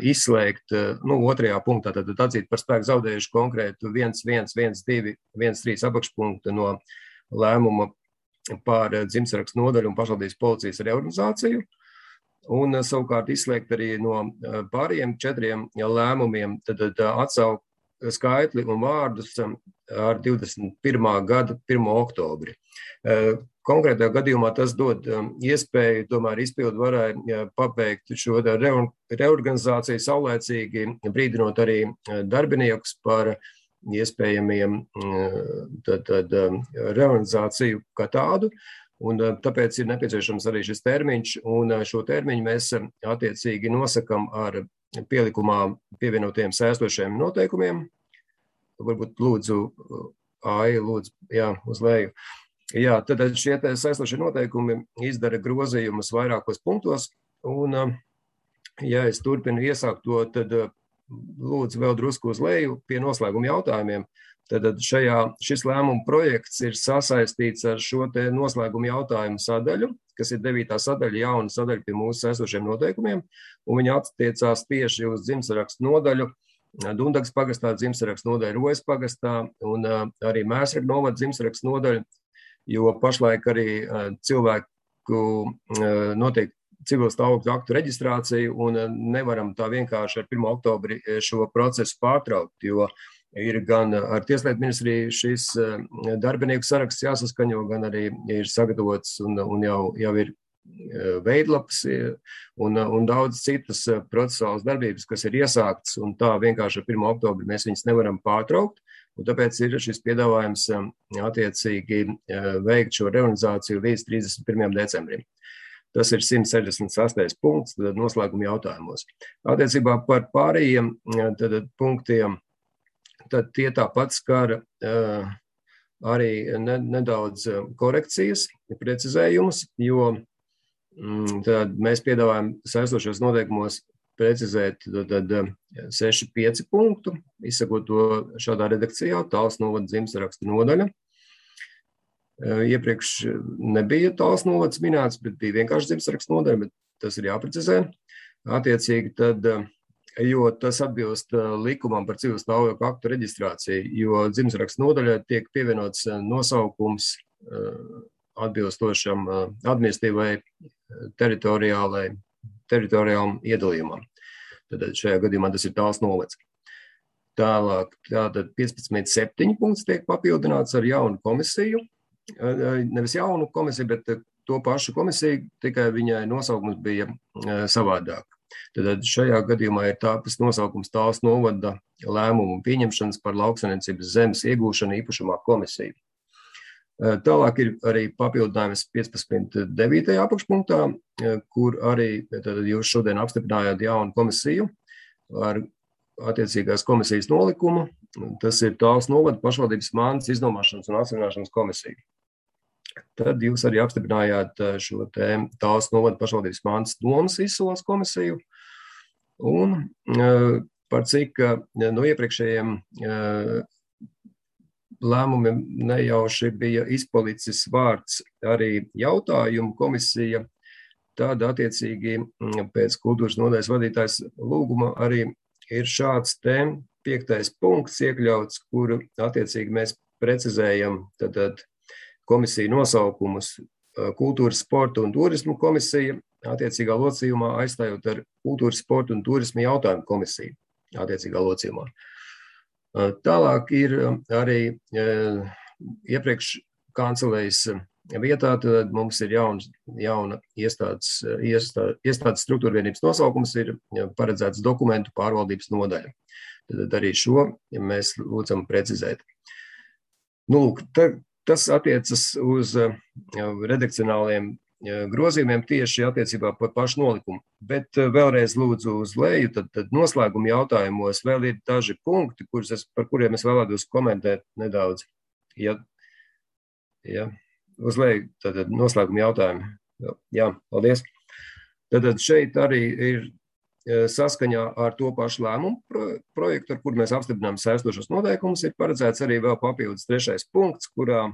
izslēgt, nu, otrajā punktā, tad atzīt par spēku zaudējuši konkrētu viens, viens, viens, divi, viens, trīs apakšpunktu no lēmuma par dzimtsarakstu nodaļu un pašvaldības policijas reorganizāciju, un savukārt izslēgt arī no pārējiem četriem lēmumiem, tad atsaukt skaitli un vārdus ar divdesmit pirmā gada pirmo oktobri. Konkrētajā gadījumā tas dod iespēju tomēr izpildu varai pabeigt šo reorganizāciju saulēcīgi, brīdinot arī darbiniekus par iespējamiem tad, tad, reorganizāciju kā tādu. Un tāpēc ir nepieciešams arī šis termiņš, un šo termiņu mēs attiecīgi nosakam ar pielikumā pievienotiem saistošiem noteikumiem. Varbūt lūdzu, Ai, lūdzu, jā, uz leju. Jā, tad šie saistošie noteikumi izdara grozījumus vairākos punktos, un, ja es turpinu iesākt to, tad lūdzu vēl drusku uz leju pie noslēguma jautājumiem. Tad šajā, šis lēmuma projekts ir sasaistīts ar šo te noslēguma jautājumu sadaļu, kas ir devītā sadaļa, jauna sadaļa pie mūsu saistošiem noteikumiem, un viņi attiecās tieši uz dzimtsarakstu nodaļu, Dundagas pagastā dzimtsarakstu nodaļu Rojas pagastā un arī Mēsraga novada dzimtsarakstu nodaļu, jo pašlaik arī cilvēku notiek civil stāvokļu aktu reģistrāciju un nevaram tā vienkārši ar pirmo oktobri šo procesu pārtraukt, jo ir gan ar Tieslietu ministriju šis darbinieku saraksts jāsaskaņo, gan arī ir sagatavots un, un jau, jau ir veidlaps un, un daudz citas procesuālas darbības, kas ir iesāktas, un tā vienkārši ar pirmo oktobri mēs viņus nevaram pārtraukt, un tāpēc ir šis piedāvājums attiecīgi veikt šo reorganizāciju līdz trīsdesmit pirmajam decembrim. Tas ir simt sešdesmit sastais punkts, tad noslēguma jautājumos. Attiecībā par pārējiem tad, punktiem, tad tie tāpat skar uh, arī ne, nedaudz korekcijas, precizējumus, jo mm, tad mēs piedāvājam saistošos noteikumos precizēt tad, seši pieci punktu, izsakot to šādā redakcijā, Tāls novada dzimtsarakstu nodaļa. Iepriekš nebija Tāls novads minēts, bet bija vienkārši dzimtsarakstu nodaļa, bet tas ir jāprecizē. Attiecīgi tad, jo tas atbilst likumam par civil stāvokļu aktu reģistrāciju, jo dzimtsarakstu nodaļai tiek pievienots nosaukums atbilstošam administratīvai teritoriālai, teritoriālam iedalījumam. Tad šajā gadījumā tas ir Tāls novads. Tālāk, tātad piecpadsmit septiņi punkts tiek papildināts ar jaunu komisiju. Nevis jaunu komisiju, bet to pašu komisiju, tikai viņai nosaukums bija savādāk. Tad šajā gadījumā ir tāpēc nosaukums Tāls novada lēmumu pieņemšanas par lauksaimniecības zemes iegūšanu īpašumā komisiju. Tālāk ir arī papildinājums piecpadsmit devītajā apakšpunktā, kur arī tad jūs šodien apstiprinājāt jaunu komisiju ar attiecīgās komisijas nolikumu. Tas ir Tāls novada pašvaldības mantas iznomāšanas un atsevināšanas komisija. Tad jūs arī apstiprinājāt šo tēmu Tāls novada pašvaldības mantas domas izsoles komisiju. Un par cik no iepriekšējiem lēmumiem nejauši bija izpalicis vārds arī jautājumu komisija, tad attiecīgi pēc kultūras nodaļas vadītājs lūguma arī ir šāds tēm piektais punkts iekļauts, kuru attiecīgi mēs precizējam tad, tad komisiju nosaukumus kultūras, sporta un turismu komisija, attiecīgā locījumā aizstājot ar kultūras, sporta un turismu jautājumu komisiju attiecīgā locījumā. Tālāk ir arī iepriekš kancelējas vietā, tad mums ir jauna, jauna iestādes, iestādes, iestādes struktūra vienības nosaukums, ir paredzēts dokumentu pārvaldības nodaļa. Tad arī šo mēs lūdzam precizēt. Nu, ta, tas attiecas uz redakcionāliem grozījumiem tieši attiecībā par pašu nolikumu. Bet vēlreiz lūdzu uz leju, tad, tad noslēguma jautājumos vēl ir daži punkti, kurus es, par kuriem es vēlētos komentēt nedaudz. Ja, ja, uz leju, tad noslēguma jautājumi. Jā, paldies. Tad šeit arī ir saskaņā ar to pašu lēmumu projektu, ar kur mēs apstiprinām saistošos noteikumus, ir paredzēts arī vēl papildus trešais punkts, kurā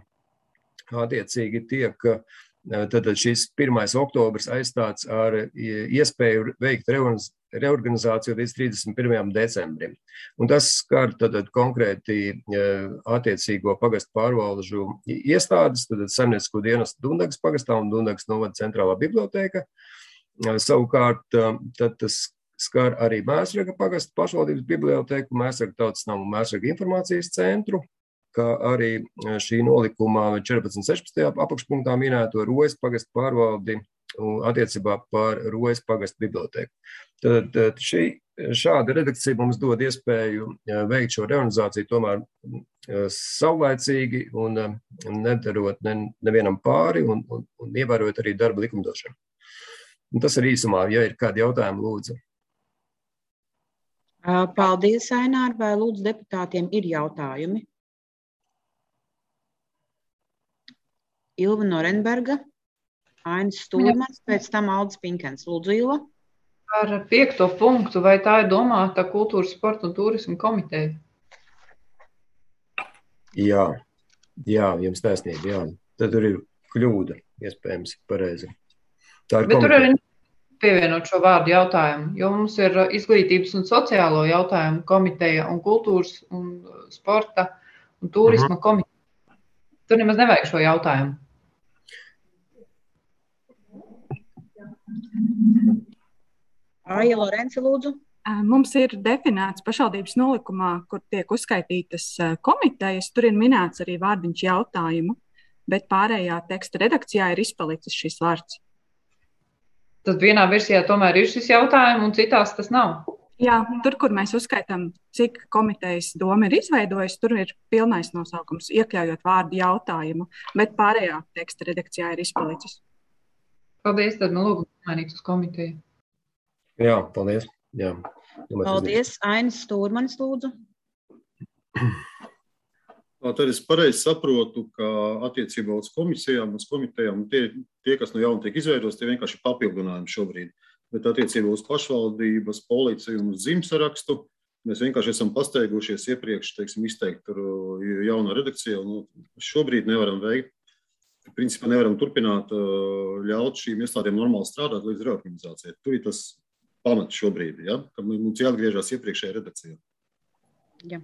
attiecīgi tiek tad šis pirmais oktobrs aizstāts ar iespēju veikt reorganizāciju līdz trīsdesmit pirmajam decembrim. Un tas skar tad konkrēti attiecīgo pagastu pārvalžu iestādes, tad saimniecisko dienestu Dundagas pagastā un Dundagas novada centrālā bibliotēka. Savukārt tad tas skar arī Mēsraga pagastu pašvaldības bibliotēku, Mēsraga tautas namu un Mēsraga informācijas centru, kā arī šī nolikuma četrpadsmit sešpadsmitajā apakšpunktā minēto Rojas pagastu pārvaldi attiecībā par Rojas pagastu bibliotēku. Tad šī, šāda redakcija mums dod iespēju veikt šo reorganizāciju tomēr saulaicīgi un nedarot ne, nevienam pāri un, un, un ievērot arī darba likumdošanu. Un tas ir īsumā, ja ir kādi jautājumi, lūdzu. Paldies, Ainār, vai lūdzu deputātiem ir jautājumi? Ilva Norenberga, Ainis Stūrmans, pēc tam Aldis Pinkens. Lūdzu, Ilva. Par piekto punktu, vai tā ir domāta kultūras, sporta un turisma komiteja? Jā, jā, jums taisnība, jā. Tad tur ir kļūda, iespējams, pareizi. Tā ir Bet komiteja. Tur arī pievienot šo vārdu jautājumu, jo mums ir izglītības un sociālo jautājumu komiteja un kultūras un sporta un turisma uh-huh. komiteja. Tur nemaz nevajag šo jautājumu. Aija Lorence, lūdzu. Mums ir definēts pašvaldības nolikumā, kur tiek uzskaitītas komitejas, tur ir minēts arī vārdiņš jautājumu, bet pārējā teksta redakcijā ir izpalicis šis vārds. Tad vienā versijā tomēr ir šis jautājums, un citās tas nav. Jā, tur, kur mēs uzskaitām, cik komitejas doma ir izveidojusi, tur ir pilnais nosaukums, iekļaujot vārdu jautājumu, bet pārējā teksta redakcijā ir izpalicis. Paldies, tad man lūgu mainīt uz komiteju. Jā, paldies. Jā. Paldies, Ainis Stūrmanis, lūdzu. Tad es pareizi saprotu, ka attiecībā uz komisijām, uz komitejām, tie, tie kas no jauna tiek izveidos, tie vienkārši papildinājumi šobrīd. Bet attiecībā uz pašvaldības, policiju un uz zīmsarakstu mēs vienkārši esam pasteigušies iepriekš, teiksim, izteikt tur jaunā redakcijā. Nu, šobrīd nevaram veikt, principā nevaram turpināt ļaut šīm iestādēm normāli strādāt līdz reorganizācijai. Tur ir tas pamats šobrīd, ja? Ka mums jāatgriežas iepriekšējā redakcijā. Jā.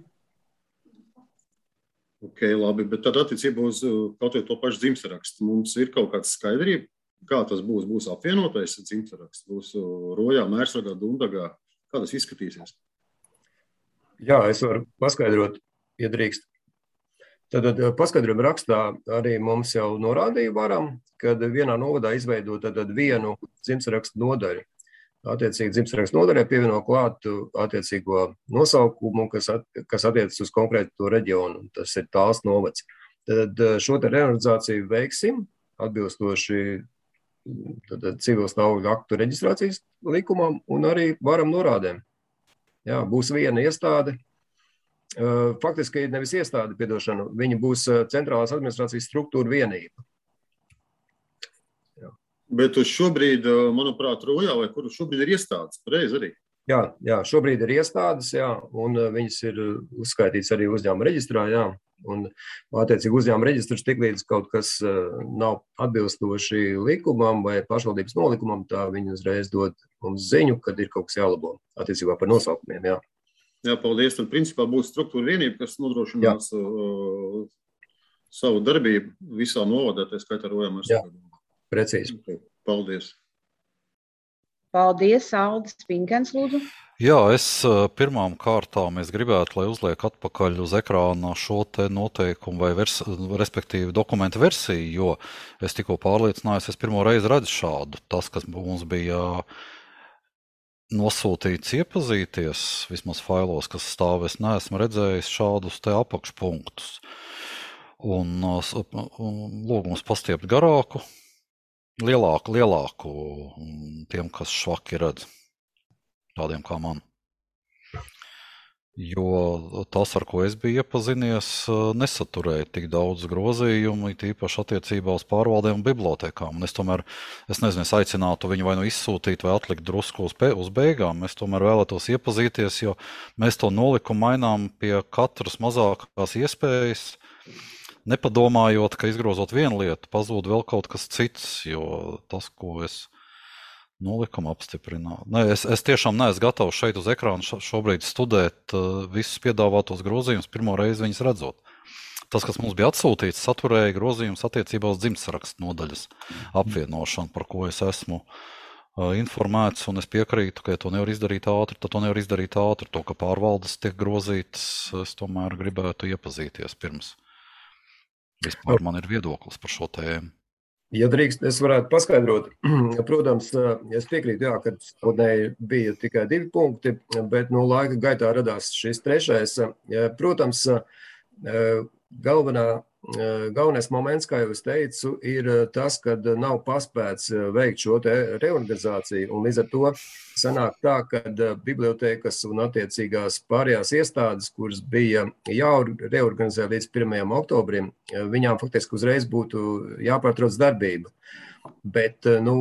Ok, labi, bet tad attiecībā uz kaut vai to pašu dzimtsarakstu mums ir kaut kāds skaidrība, kā tas būs, būs apvienotais dzimtsaraksts, būs Rojā, Mērsragā, Dundagā, kā tas izskatīsies? Jā, es varu paskaidrot, ja drīkst. Tad paskaidrojuma rakstā arī mums jau norādīja varam, kad vienā novadā izveido tad vienu dzimtsarakstu nodaļu. Attiecīgi dzimtsarakstu nodaļai pievieno klātu attiecīgo nosaukumu, kas, at, kas attiecas uz konkrētu to reģionu. Tas ir Tāls novads. Tad šo te reorganizāciju veiksim atbilstoši civil stāvokļa aktu reģistrācijas likumam un arī varam norādēm. Jā, būs viena iestāde. Faktiski nevis iestāde, piedošana, viņa būs centrālās administrācijas struktūra vienība. Bet uz šobrīd, manuprāt, Rojā vai kur šobrīd ir iestādes, pareizi arī? Jā, jā, šobrīd ir iestādes, jā, un viņas ir uzskaitīts arī uzņēmuma reģistrā, jā, un attiecīgi uzņēmuma reģistrs tiklīdz kaut kas nav atbilstoši likumam vai pašvaldības nolikumam, tā viņi uzreiz dod mums ziņu, kad ir kaut kas jālabo attiecībā par nosaukumiem, jā. Jā, paldies. Tad principā būs struktūra vienība, kas nodrošinās uh, savu darbību visā novadā, tā skaitā Rojā, Mērsragā. Jā, precīzi. Okay, paldies. Paldies, Aldis Pinkens, lūdzu. Jā, es pirmām kārtām es gribētu, lai uzliek atpakaļ uz ekrāna šo te noteikumu vai vers, respektīvi dokumentu versiju, jo es tikko pārliecinājos, es pirmo reizi redzu šādu. Tas, kas mums bija nosūtīts iepazīties, vismaz failos, kas stāv, es neesmu redzējis šādus te apakšpunktus. Un lūgums pastiept garāku, lielāku, lielāku tiem, kas švaki redz. Tādiem kā man. Jo tas, ar ko es biju iepazinies, nesaturēja tik daudz grozījumu, tīpaši attiecībā uz pārvaldēm un bibliotēkām. Un es tomēr, es nezinu, es aicinātu viņu vai nu izsūtīt vai atlikt drusku uz, uz beigām. Es tomēr vēlētos iepazīties, jo mēs to nolikumu mainām pie katras mazākās iespējas, nepadomājot, ka izgrozot vienu lietu, pazūd vēl kaut kas cits, jo tas, ko es nolikumu apstiprināt. Nē, es, es tiešām neesmu gatavs šeit uz ekrāna šobrīd studēt uh, visus piedāvātos grozījumus, pirmo reizi viņus redzot. Tas, kas mums bija atsūtīts, saturēja grozījumus attiecībā uz dzimtsrakstu nodaļas apvienošanu, par ko es esmu uh, informēts, un es piekrītu, ka ja to nevar izdarīt ātri, tad to nevar izdarīt ātri. To, ka pārvaldes tiek grozītas, es tomēr gribētu iepazīties pirms. Vispār man ir viedoklis par šo tēmu. Ja drīkst, es varētu paskaidrot. Protams, es piekrītu, jā, ka sākotnēji bija tikai divi punkti, bet no laika gaitā radās šis trešais. Protams, galvenā, galvenais moments, kā jau es teicu, ir tas, kad nav paspēts veikt šo te reorganizāciju, un līdz ar to sanāk tā, ka bibliotēkas un attiecīgās pārējās iestādes, kuras bija jāreorganizē līdz pirmajam oktobrim, viņām faktiski uzreiz būtu jāpārtrauc darbība. Bet nu,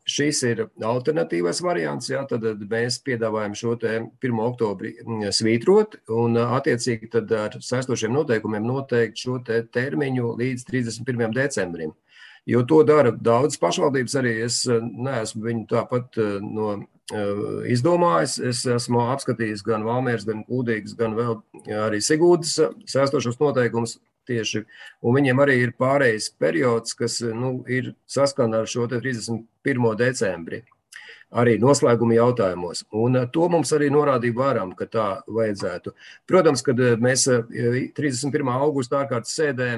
šis ir alternatīvais variants, jā, tad mēs piedāvājam šo te pirmo oktobri svītrot un attiecīgi tad ar saistošiem noteikumiem noteikt šo te termiņu līdz trīsdesmit pirmajam decembrim. Jo to dara daudz pašvaldības, arī es neesmu viņu tāpat no izdomājis. Es esmu apskatījis gan Valmieras, gan Kūdīgas, gan vēl arī Sigūdas saistošos noteikumus tieši, un viņiem arī ir pārējais periods, kas nu, ir saskana ar šo te trīsdesmit pirmo decembri, arī noslēguma jautājumos. Un to mums arī norādīja varam, ka tā vajadzētu. Protams, kad mēs trīsdesmit pirmā augusta ārkārtas sēdē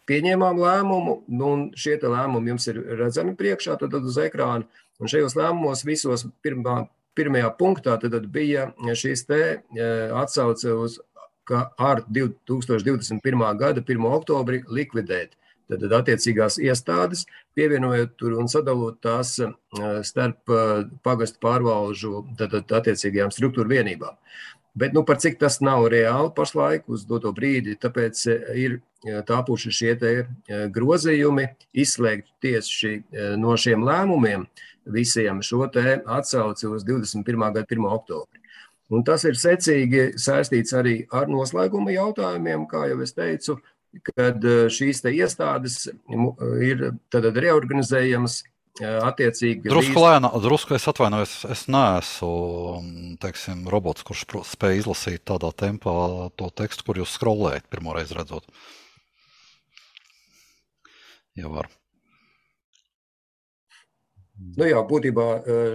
pieņēmām lēmumu, un šie te lēmumi jums ir redzami priekšā, tad uz ekrāna, un šajos lēmumos visos pirmā, pirmajā punktā tad bija šīs te atsauce uz, ka ar divi tūkstoši divdesmit pirmā gada pirmo oktobri likvidēt tad attiecīgās iestādes, pievienojot tur un sadalot tās starp pagastu pārvalžu tad attiecīgajām struktūru vienībām. Bet nu, par cik tas nav reāli pašlaik uz doto brīdi, tāpēc ir tāpuši šie te grozījumi, izslēgt tieši no šiem lēmumiem visiem šo te atsauci uz divdesmit pirmā gada pirmo oktobri. Un tas ir secīgi saistīts arī ar noslēguma jautājumiem, kā jau es teicu, kad šīs te iestādes ir tad reorganizējamas attiecīgi. Drusku lēnā, drusku es atvainojos, es neesmu, teiksim, robots, kurš spēj izlasīt tādā tempā to tekstu, kur jūs scrollējat pirmoreiz redzot. Ja var. Nu jā, būtībā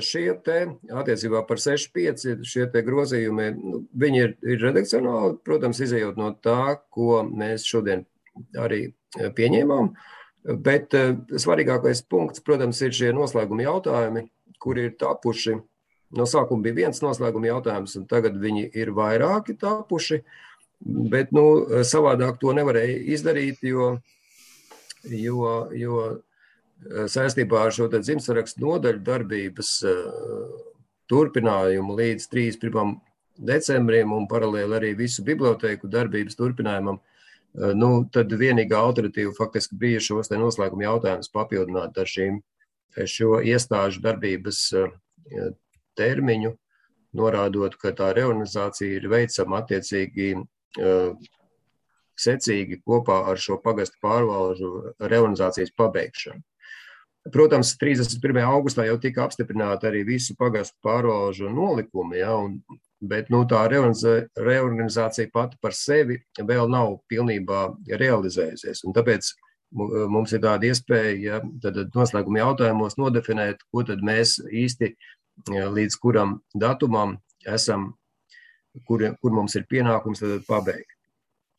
šie te attiecībā par seši pieci šie te grozījumi, nu, viņi ir, ir redakcionāli, protams, izējot no tā, ko mēs šodien arī pieņēmām, bet svarīgākais punkts, protams, ir šie noslēguma jautājumi, kuri ir tapuši. No sākuma bija viens noslēguma jautājums, un tagad viņi ir vairāki tapuši, bet nu, savādāk to nevarēja izdarīt, jo, jo, jo saistībā ar šo dzimtsrakstu nodaļu darbības turpinājumu līdz trīsdesmit pirmajam decembrim un paralēli arī visu bibliotēku darbības turpinājumam, nu, tad vienīgā alternatīva faktiski bija šos te noslēguma jautājumus papildināt ar šīm, šo iestāžu darbības termiņu, norādot, ka tā reorganizācija ir veicama attiecīgi secīgi kopā ar šo pagastu pārvalžu reorganizācijas pabeigšanu. Protams, trīsdesmit pirmajā augustā jau tika apstiprināta arī visu pagastu pārvalžu nolikumi, ja, un, bet nu, tā reorganizācija pati par sevi vēl nav pilnībā realizējusies. Un tāpēc mums ir tāda iespēja, ja, tad noslēguma jautājumos nodefinēt, ko tad mēs īsti līdz kuram datumam esam, kur, kur mums ir pienākums tad pabeigt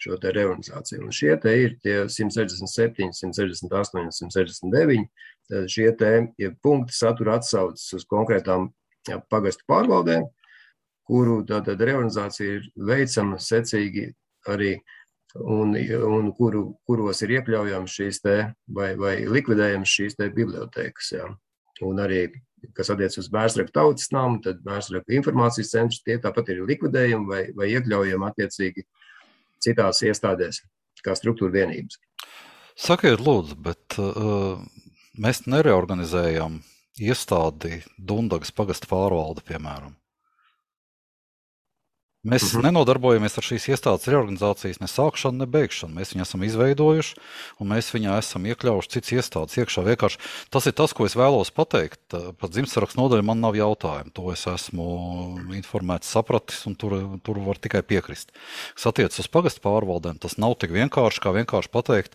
šo te reorganizāciju. Un šie te ir tie simt sešdesmit septiņi, simt sešdesmit astoņi, simt sešdesmit deviņi. Tad šie te ja punkti satura atsaucas uz konkrētām ja, pagastu pārvaldēm, kuru tātad reorganizācija ir veicama secīgi arī un, un kuru, kuros ir iekļaujams šīs te vai, vai likvidējams šīs te bibliotēkas. Ja. Un arī, kas attiec uz Mērsraku tautas namu, tad Mērsraku informācijas centrs, tie tāpat ir likvidējumi vai, vai iekļaujami attiecīgi citās iestādēs, kā struktūra vienības. Sakiet, lūdzu, bet uh, mēs nereorganizējam iestādi Dundagas pagasta pārvalde, piemēram. Mēs uh-huh. nenodarbojamies ar šīs iestādes reorganizācijas ne sākšanu, ne beigšanu. Mēs viņu esam izveidojuši, un mēs viņā esam iekļaujuši cits iestādes iekšā. Vienkārši tas ir tas, ko es vēlos pateikt. Pat dzimtsarakstu nodaļa man nav jautājumu. To es esmu informēts, sapratis, un tur, tur var tikai piekrist. Kas attiecas uz pagasta pārvaldēm, tas nav tik vienkārši, kā vienkārši pateikt,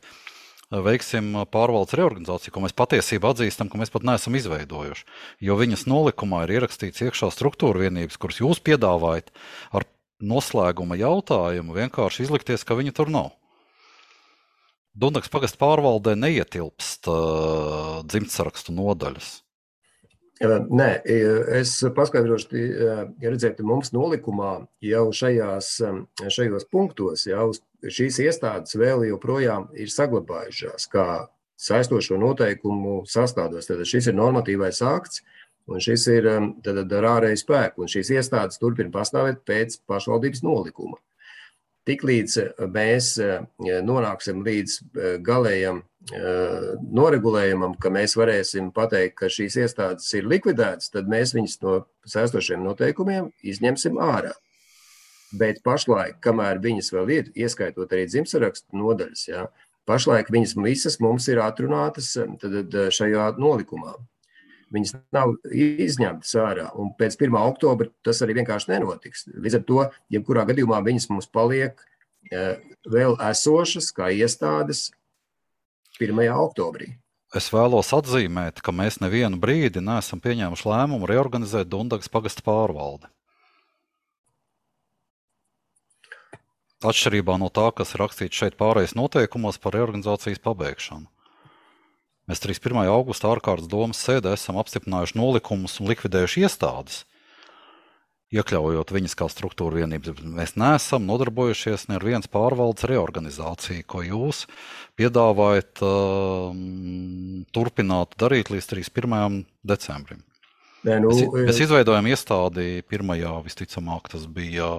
veiksim pārvaldes reorganizāciju, ko mēs patiesībā atzīstam, ka mēs pat neesam izveidojuši. Jo viņas nolikumā ir ierakstīts iekšā struktūra vienības, kuras jūs piedāvājat ar noslēguma jautājumu vienkārši izlikties, ka viņa tur nav. Dundagas pagasta pārvaldē neietilpst uh, dzimtsarakstu nodaļas. Nē, es paskaidrošu, ja redzēt, mums nolikumā jau šajās, šajos punktos jau šīs iestādes vēl joprojām ir saglabājušās kā saistošo noteikumu sastādos. Tad šis ir normatīvais akts, un šis ir tad, ar ārēju spēku, un šīs iestādes turpina pastāvēt pēc pašvaldības nolikuma. Tiklīdz mēs nonāksim līdz galējam noregulējumam, ka mēs varēsim pateikt, ka šīs iestādes ir likvidētas, tad mēs viņas no saistošiem noteikumiem izņemsim ārā. Bet pašlaik, kamēr viņas vēl ir, ieskaitot arī dzimtsarakstu nodaļas, jā, pašlaik viņas visas mums ir atrunātas tad, šajā nolikumā. Viņas nav izņemtas ārā, un pēc pirmā oktobra tas arī vienkārši nenotiks. Līdz ar to, jebkurā gadījumā viņas mums paliek vēl esošas kā iestādes pirmajā oktobrī. Es vēlos atzīmēt, ka mēs nevienu brīdi neesam pieņēmuši lēmumu reorganizēt Dundagas pagasta pārvaldi. Atšķirībā no tā, kas ir rakstīts šeit pārējais noteikumos par reorganizācijas pabeigšanu. Mēs trīsdesmit pirmā augusta ārkārtas domas sēdē esam apstiprinājuši nolikumus un likvidējuši iestādes, iekļaujot viņas kā struktūra vienības. Mēs neesam nodarbojušies ne ar vienas pārvaldes reorganizāciju, ko jūs piedāvājat um, turpināt darīt līdz trīsdesmit pirmajam decembrim. Nē, nu, mēs, mēs izveidojam iestādi pirmajā, visticamāk, tas bija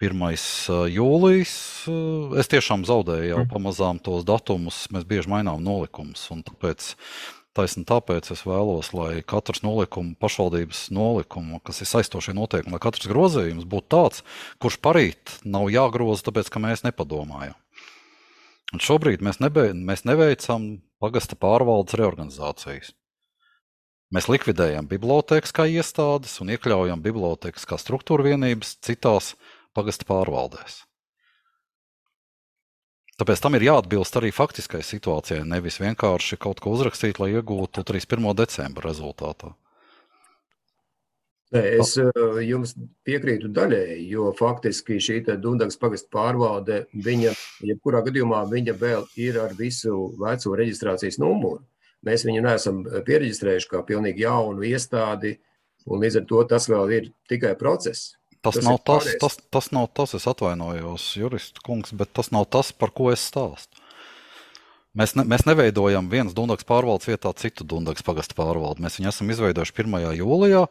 pirmais jūlijas. Es tiešām zaudēju jau pamazām tos datumus, mēs bieži mainām nolikumus, un tāpēc, taisni tāpēc es vēlos, lai katrs nolikuma, pašvaldības nolikuma, kas ir saistošie noteikumi, lai katrs grozījums būtu tāds, kurš parīt nav jāgroza, tāpēc, ka mēs nepadomājam. Un šobrīd mēs, nebe, mēs neveicam pagasta pārvaldes reorganizācijas. Mēs likvidējam bibliotēkas kā iestādes un iekļaujam bibliotēkas kā struktūra vienības citās pagasta pārvaldēs. Tāpēc tam ir jāatbilst arī faktiskai situācijai, nevis vienkārši kaut ko uzrakstīt, lai iegūtu trīsdesmit pirmā decembra rezultātā. Nē, es jums piekrītu daļēji, jo faktiski šī Dundagas pagasta pārvalde, viņa, jebkurā gadījumā, viņa vēl ir ar visu veco reģistrācijas numuru. Mēs viņu neesam piereģistrējuši kā pilnīgi jaunu iestādi, un līdz ar to tas vēl ir tikai process. Tas, tas, nav tas, tas, tas nav tas, es atvainojos, juristu kungs, bet tas nav tas, par ko es stāstu. Mēs, ne, mēs neveidojam vienas Dundagas pārvaldes vietā citu Dundagas pagasta pārvaldi. Mēs viņu esam izveidojuši pirmajā jūlijā,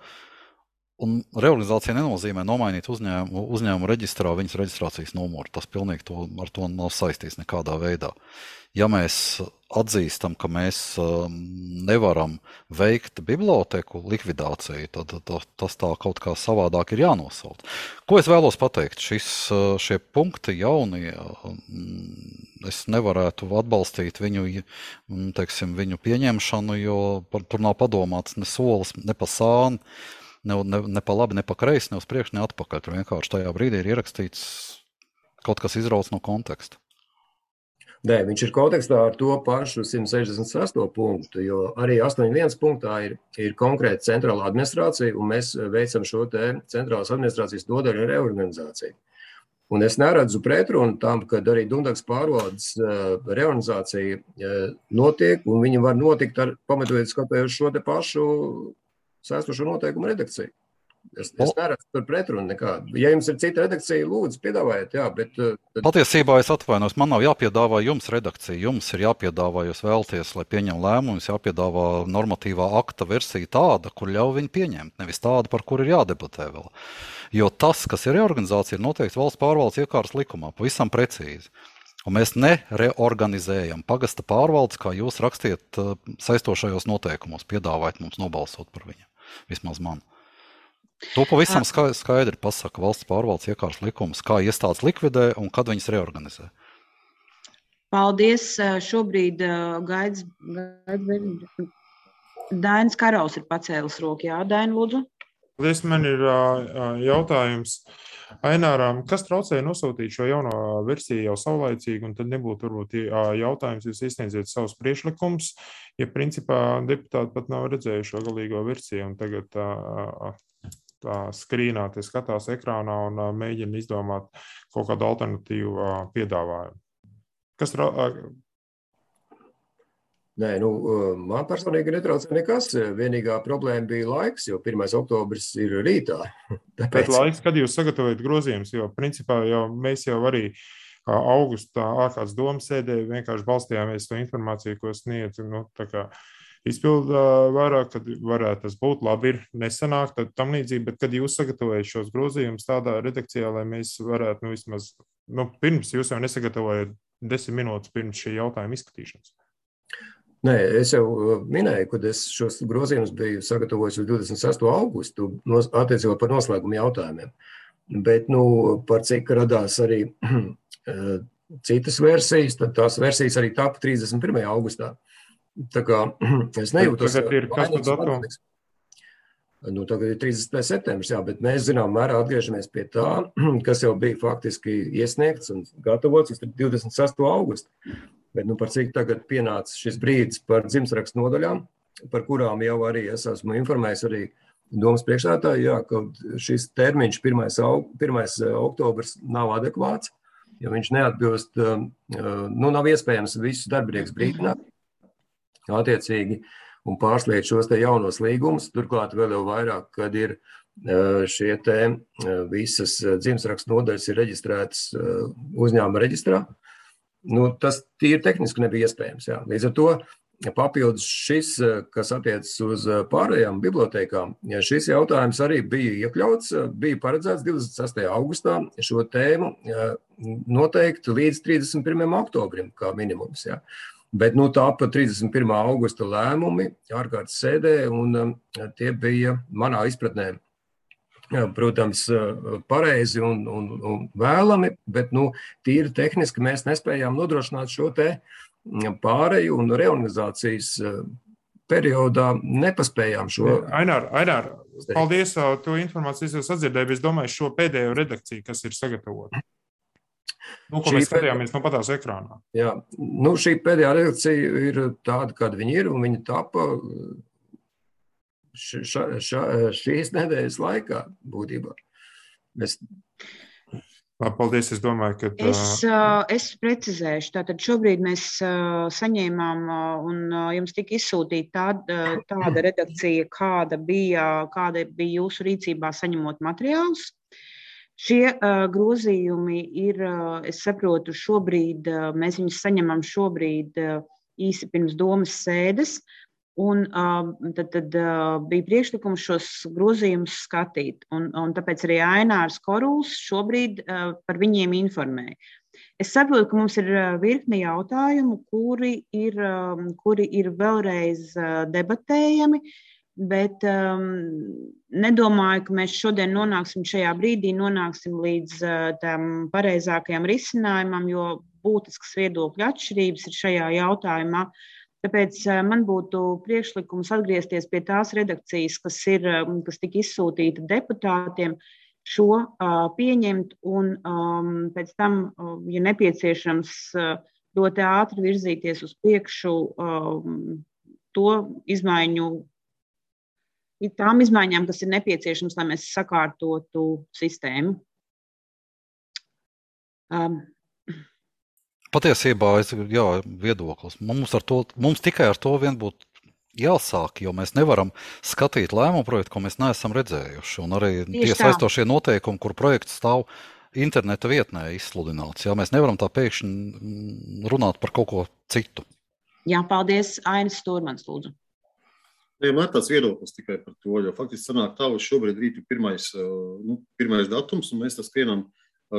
un reorganizācija nenozīmē nomainīt uzņēmumu, uzņēmumu reģistrā viņas reģistrācijas numuru. Tas pilnīgi to, ar to nav saistīts nekādā veidā. Ja mēs atzīstam, ka mēs um, nevaram veikt biblioteku likvidāciju, tad, tad tas tā kaut kā savādāk ir jānosauc. Ko es vēlos pateikt? Šis, šie punkti jaunie, es nevarētu atbalstīt viņu, teiksim, viņu pieņemšanu, jo par, tur nav padomāts ne solis, ne pa sāni, ne, ne, ne pa labi, ne pa kreisi, ne uz priekšu, ne atpakaļ. Tur vienkārši tajā brīdī ir ierakstīts kaut kas izrauts no konteksta. Nē, viņš ir kontekstā ar to pašu simt sešdesmit sesto punktu, jo arī astoņdesmit viens punktā ir, ir konkrēta centrāla administrācija, un mēs veicam šo te centrālās administrācijas nodaļu reorganizāciju. Un es neredzu pretrunu tam, kad arī Dundagas pārvaldes reorganizācija notiek, un viņi var notikt ar pamatoties skatoties šo te pašu saistošo noteikumu redakciju. Es, es neredzu tur pretrunu nekādu. Ja jums ir cita redakcija, lūdzu, piedāvājiet, jā, bet... Tad... Patiesībā es atvainos, man nav jāpiedāvā jums redakcija, jums ir jāpiedāvā, jūs vēlties, lai pieņem lēmumus, jāpiedāvā normatīvā akta versija tāda, kur ļauj viņu pieņemt, nevis tāda, par kur ir jādebatē vēl. Jo tas, kas ir reorganizācija, ir noteikti valsts pārvaldes iekārtas likumā, pavisam precīzi. Un mēs nereorganizējam pagasta pārvaldes, kā jūs rakstiet saistošajos noteikumos, piedāvājat mums nobalsot par viņu, vismaz man. To pavisam skaidri pasaka valsts pārvaldes iekārtas likums, kā iestādes likvidē un kad viņas reorganizē. Paldies. Šobrīd gaids, gaids Dainis Karaus ir pacēlis roku. Jā, Daini, lūdzu. Paldies, man ir jautājums Aināram, kas traucēja nosūtīt šo jauno versiju jau saulaicīgi, un tad nebūtu varbūt jautājums, jūs izsniedziet savus priekšlikumus, ja principā deputāti pat nav redzējuši šo galīgo versiju, un tagad tā, tā skrīnā, tie skatās ekrānā un mēģina izdomāt kaut kādu alternatīvu piedāvājumu. Kas tra... Nē, nu, man personīgi netraucē nekas. Vienīgā problēma bija laiks, jo pirmais oktobris ir rītā. Tāpēc... Bet laiks, kad jūs sagatavojat grozījumus, jo principā jau mēs jau arī augustā ārkārtas domas sēdē vienkārši balstījāmies to informāciju, ko sniedz, nu, tā kā izpilda vairāk, kad varētu tas būt labi, ir nesanāk, tad tam līdzīgi, bet kad jūs sagatavojat šos grozījumus tādā redakcijā, lai mēs varētu, nu, vismaz, nu, pirms jūs jau nesagatavojat desmit minūtes pirms šī jautājuma izskatīšanas. Nē, es jau minēju, kad es šos grozījumus biju sagatavojis uz divdesmit sesto augustu attiecībā par noslēgumu jautājumiem. Bet, nu, par cik radās arī citas versijas, tad tās versijas arī tapa trīsdesmit pirmajā augustā. Tā kā es nejūtos... Tagad ir kas par datumu? Nu, tagad ir trīsdesmitais septembris, jā, bet mēs zinām mērā atgriežamies pie tā, kas jau bija faktiski iesniegts un gatavots uz divdesmit sesto augustu. Bet, nu, par cik tagad pienāca šis brīdis par dzimstrakstu nodaļām, par kurām jau arī es esmu informējis arī domas priekšsēdētāju, jā, ka šis termiņš pirmais oktobrs nav adekvāts, jo viņš neatbilst, nu, nav iespējams visus darbinieks brīdināt, attiecīgi, un pārsliet šos te jaunos līgumus, turklāt vēl jau vairāk, kad ir šie te visas dzimstrakstu nodaļas ir reģistrētas uzņēmuma reģistrā. Nu, tas tīri tehniski nebija iespējams. Jā. Līdz ar to papildus šis, kas attiecas uz pārējām bibliotēkām, ja šis jautājums arī bija iekļauts, bija paredzēts divdesmit sestajā augustā šo tēmu noteikti līdz trīsdesmit pirmajam oktobrim kā minimums. Jā. Bet nu, tā pa trīsdesmit pirmā augusta lēmumi ārkārtas sēdē, un tie bija manā izpratnē, protams, pareizi un, un, un vēlami, bet nu, tīri tehniski mēs nespējām nodrošināt šo te pāreju un reorganizācijas periodā nepaspējām šo. Ainār, Ainār, paldies, to informāciju es atdzirdēju, es domāju šo pēdējo redakciju, kas ir sagatavota. Nu, ko šī mēs skatījāmies no patās ekrānā. Jā, nu šī pēdējā redakcija ir tāda, kāda viņa ir, un viņa tapa ša, ša, šīs nedēļas laikā būtībā. Mēs... Paldies, es domāju, ka... Es, es precizēšu. Tātad šobrīd mēs saņēmām un jums tika izsūtīta tāda, tāda redakcija, kāda bija, kāda bija jūsu rīcībā saņemot materiālus. Šie uh, grozījumi ir, uh, es saprotu, šobrīd, uh, mēs viņus saņemam šobrīd uh, īsi pirms domas sēdes, un uh, tad, tad uh, bija priekšlikums šos grozījumus skatīt, un, un tāpēc arī Ainārs Koruls šobrīd uh, par viņiem informēja. Es saprotu, ka mums ir virkne jautājumu, kuri ir, um, kuri ir vēlreiz uh, debatējami, bet um, nedomāju, ka mēs šodien nonāksim šajā brīdī, nonāksim līdz uh, tam pareizākajam risinājumam, jo būtiskas viedokļu atšķirības ir šajā jautājumā. Tāpēc uh, man būtu priekšlikums atgriezties pie tās redakcijas, kas, ir, um, kas tika izsūtīta deputātiem, šo uh, pieņemt un um, pēc tam, uh, ja nepieciešams, uh, ļoti ātri virzīties uz priekšu to izmaiņu, tām izmaiņām, kas ir nepieciešams, lai mēs sakārtotu sistēmu. Um, Patiesībā, es, jā, viedoklis. Mums, ar to, mums tikai ar to vien būtu jāsāk, jo mēs nevaram skatīt lēmumu projektu, ko mēs neesam redzējuši. Un arī tie saistošie noteikumi, kur projekts stāv interneta vietnē izsludināts. Jā, mēs nevaram tā pēkšņi runāt par kaut ko citu. Jā, paldies. Ainis Stūrmans, lūdzu. Ja, man ir tāds viedoklis tikai par to, jo faktiski sanāk tā, ka šobrīd rīt ir pirmais, nu, pirmais datums, un mēs tas skrienam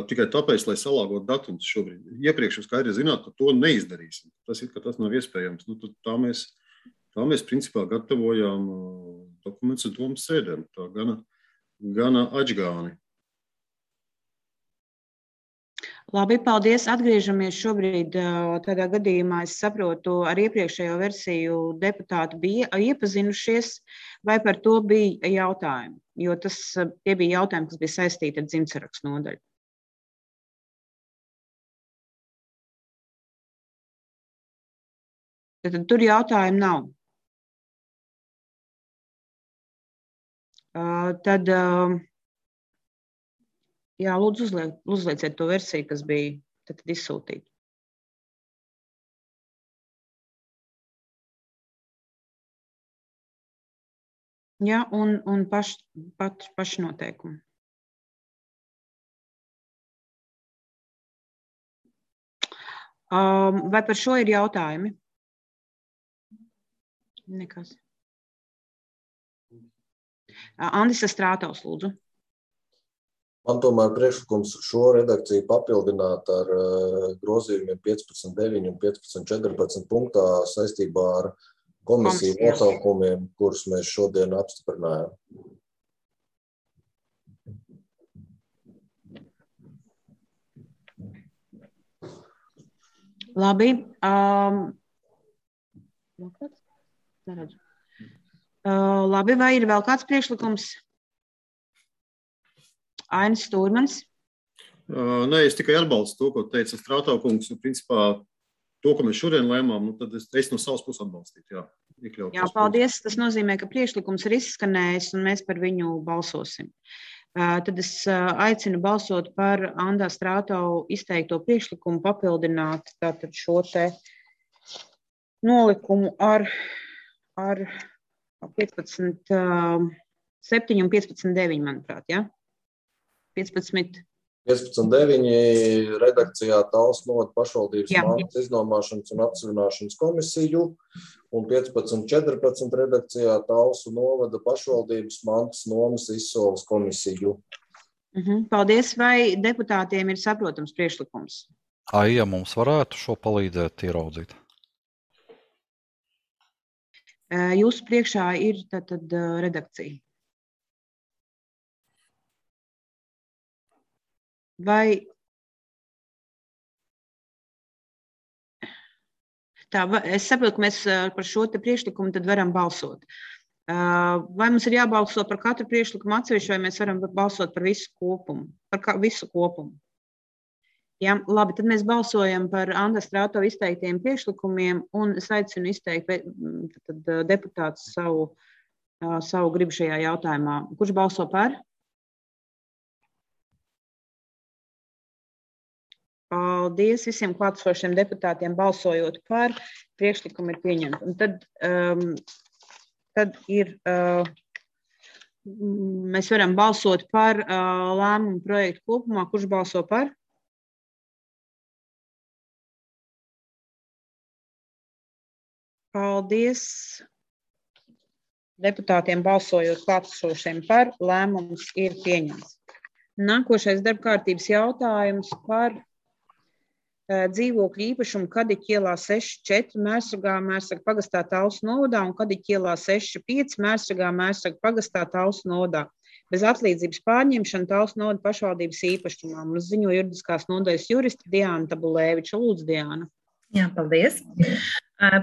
tikai tāpēc, lai salāgot datums šobrīd. Iepriekš jūs skaidri zināt, ka to neizdarīsim. Tas ir, ka tas nav iespējams. Nu, tā mēs, tā mēs principā gatavojām dokumentus domas sēdēm. Tā gana, gana atžgāni. Labi, paldies. Atgriežamies šobrīd tādā gadījumā. Es saprotu, ar iepriekšējo versiju deputāti bija iepazinušies, vai par to bija jautājumi, jo tas, tie bija jautājumi, kas bija saistīti ar dzimtsarakstu nodaļu. Tad tur jautājumu nav. Tad... Jā, lūdzu, uzliek, uzlieciet to versiju, kas bija tad izsūtīta. Jā, un, un paš, pat, pašnoteikumi. Um, vai par šo ir jautājumi? Nekas. Andis Strātaus, lūdzu. Man tomēr priekšlikums šo redakciju papildināt ar uh, grozījumiem piecpadsmit deviņi un piecpadsmit četrpadsmit punktā saistībā ar komisiju notaukumiem, kurus mēs šodien apstiprinājām. Labi. Um, uh, labi, vai ir vēl kāds priekšlikums? Ainis Stūrmans. Uh, nē, es tikai atbalstu to, ko teica Strātaukungs. Principā to, ko mēs šodien lēmām, nu, tad es, es no savas puses atbalstītu. Jā, jā, paldies. Tas nozīmē, ka priekšlikums ir izskanējis un mēs par viņu balsosim. Uh, tad es uh, aicinu balsot par Andā Strātau izteikto priekšlikumu papildināt tātad šo te nolikumu ar, ar piecpadsmit septiņi un piecpadsmit deviņi, manuprāt, jā? piecpadsmit deviņi redakcijā Tallas novada pašvaldības mantas iznomāšanas un atsevināšanas komisiju un piecpadsmit četrpadsmit redakcijā Tallas novada pašvaldības mantas nomas izsoles komisiju. Uh-huh. Paldies. Vai deputātiem ir saprotams priekšlikums? Aija, mums varētu šo palīdzēt ieraudzīt? Jūsu priekšā ir tātad redakcija. Vai tā, es saprotu, ka mēs par šo te priekšlikumu tad varam balsot. Vai mums ir jābalso par katru priekšlikumu atsevišķi, vai mēs varam balsot par visu kopumu? Par kā, visu kopumu. Jā, labi, tad mēs balsojam par Andas Strātau izteiktiem priekšlikumiem, un es aicinu izteikt tad, deputāts savu, savu gribu šajā jautājumā. Kurš balso par? Paldies visiem klātesošiem deputātiem balsojot par, priekšlikumu ir pieņemts. Un tad, um, tad ir, uh, mēs varam balsot par uh, lēmumu projektu kopumā. Kurš balso par? Paldies deputātiem balsojot klātesošiem par, lēmums ir pieņemts. Nākošais darbkārtības jautājums par dzīvokļu īpašumu Kadiķa ielā seši četri Mērsragā, Mērsraga pagastā Tallas novadā un Kadiķa ielā seši pieci Mērsragā, Mērsraga pagastā Tallas novadā. Bez atlīdzības pārņemšana Tallas novada pašvaldības īpašumā. Mums ziņo juridiskās nodaļas jurista Diāna Tabulēviča. Lūdzu, Diāna. Jā, paldies.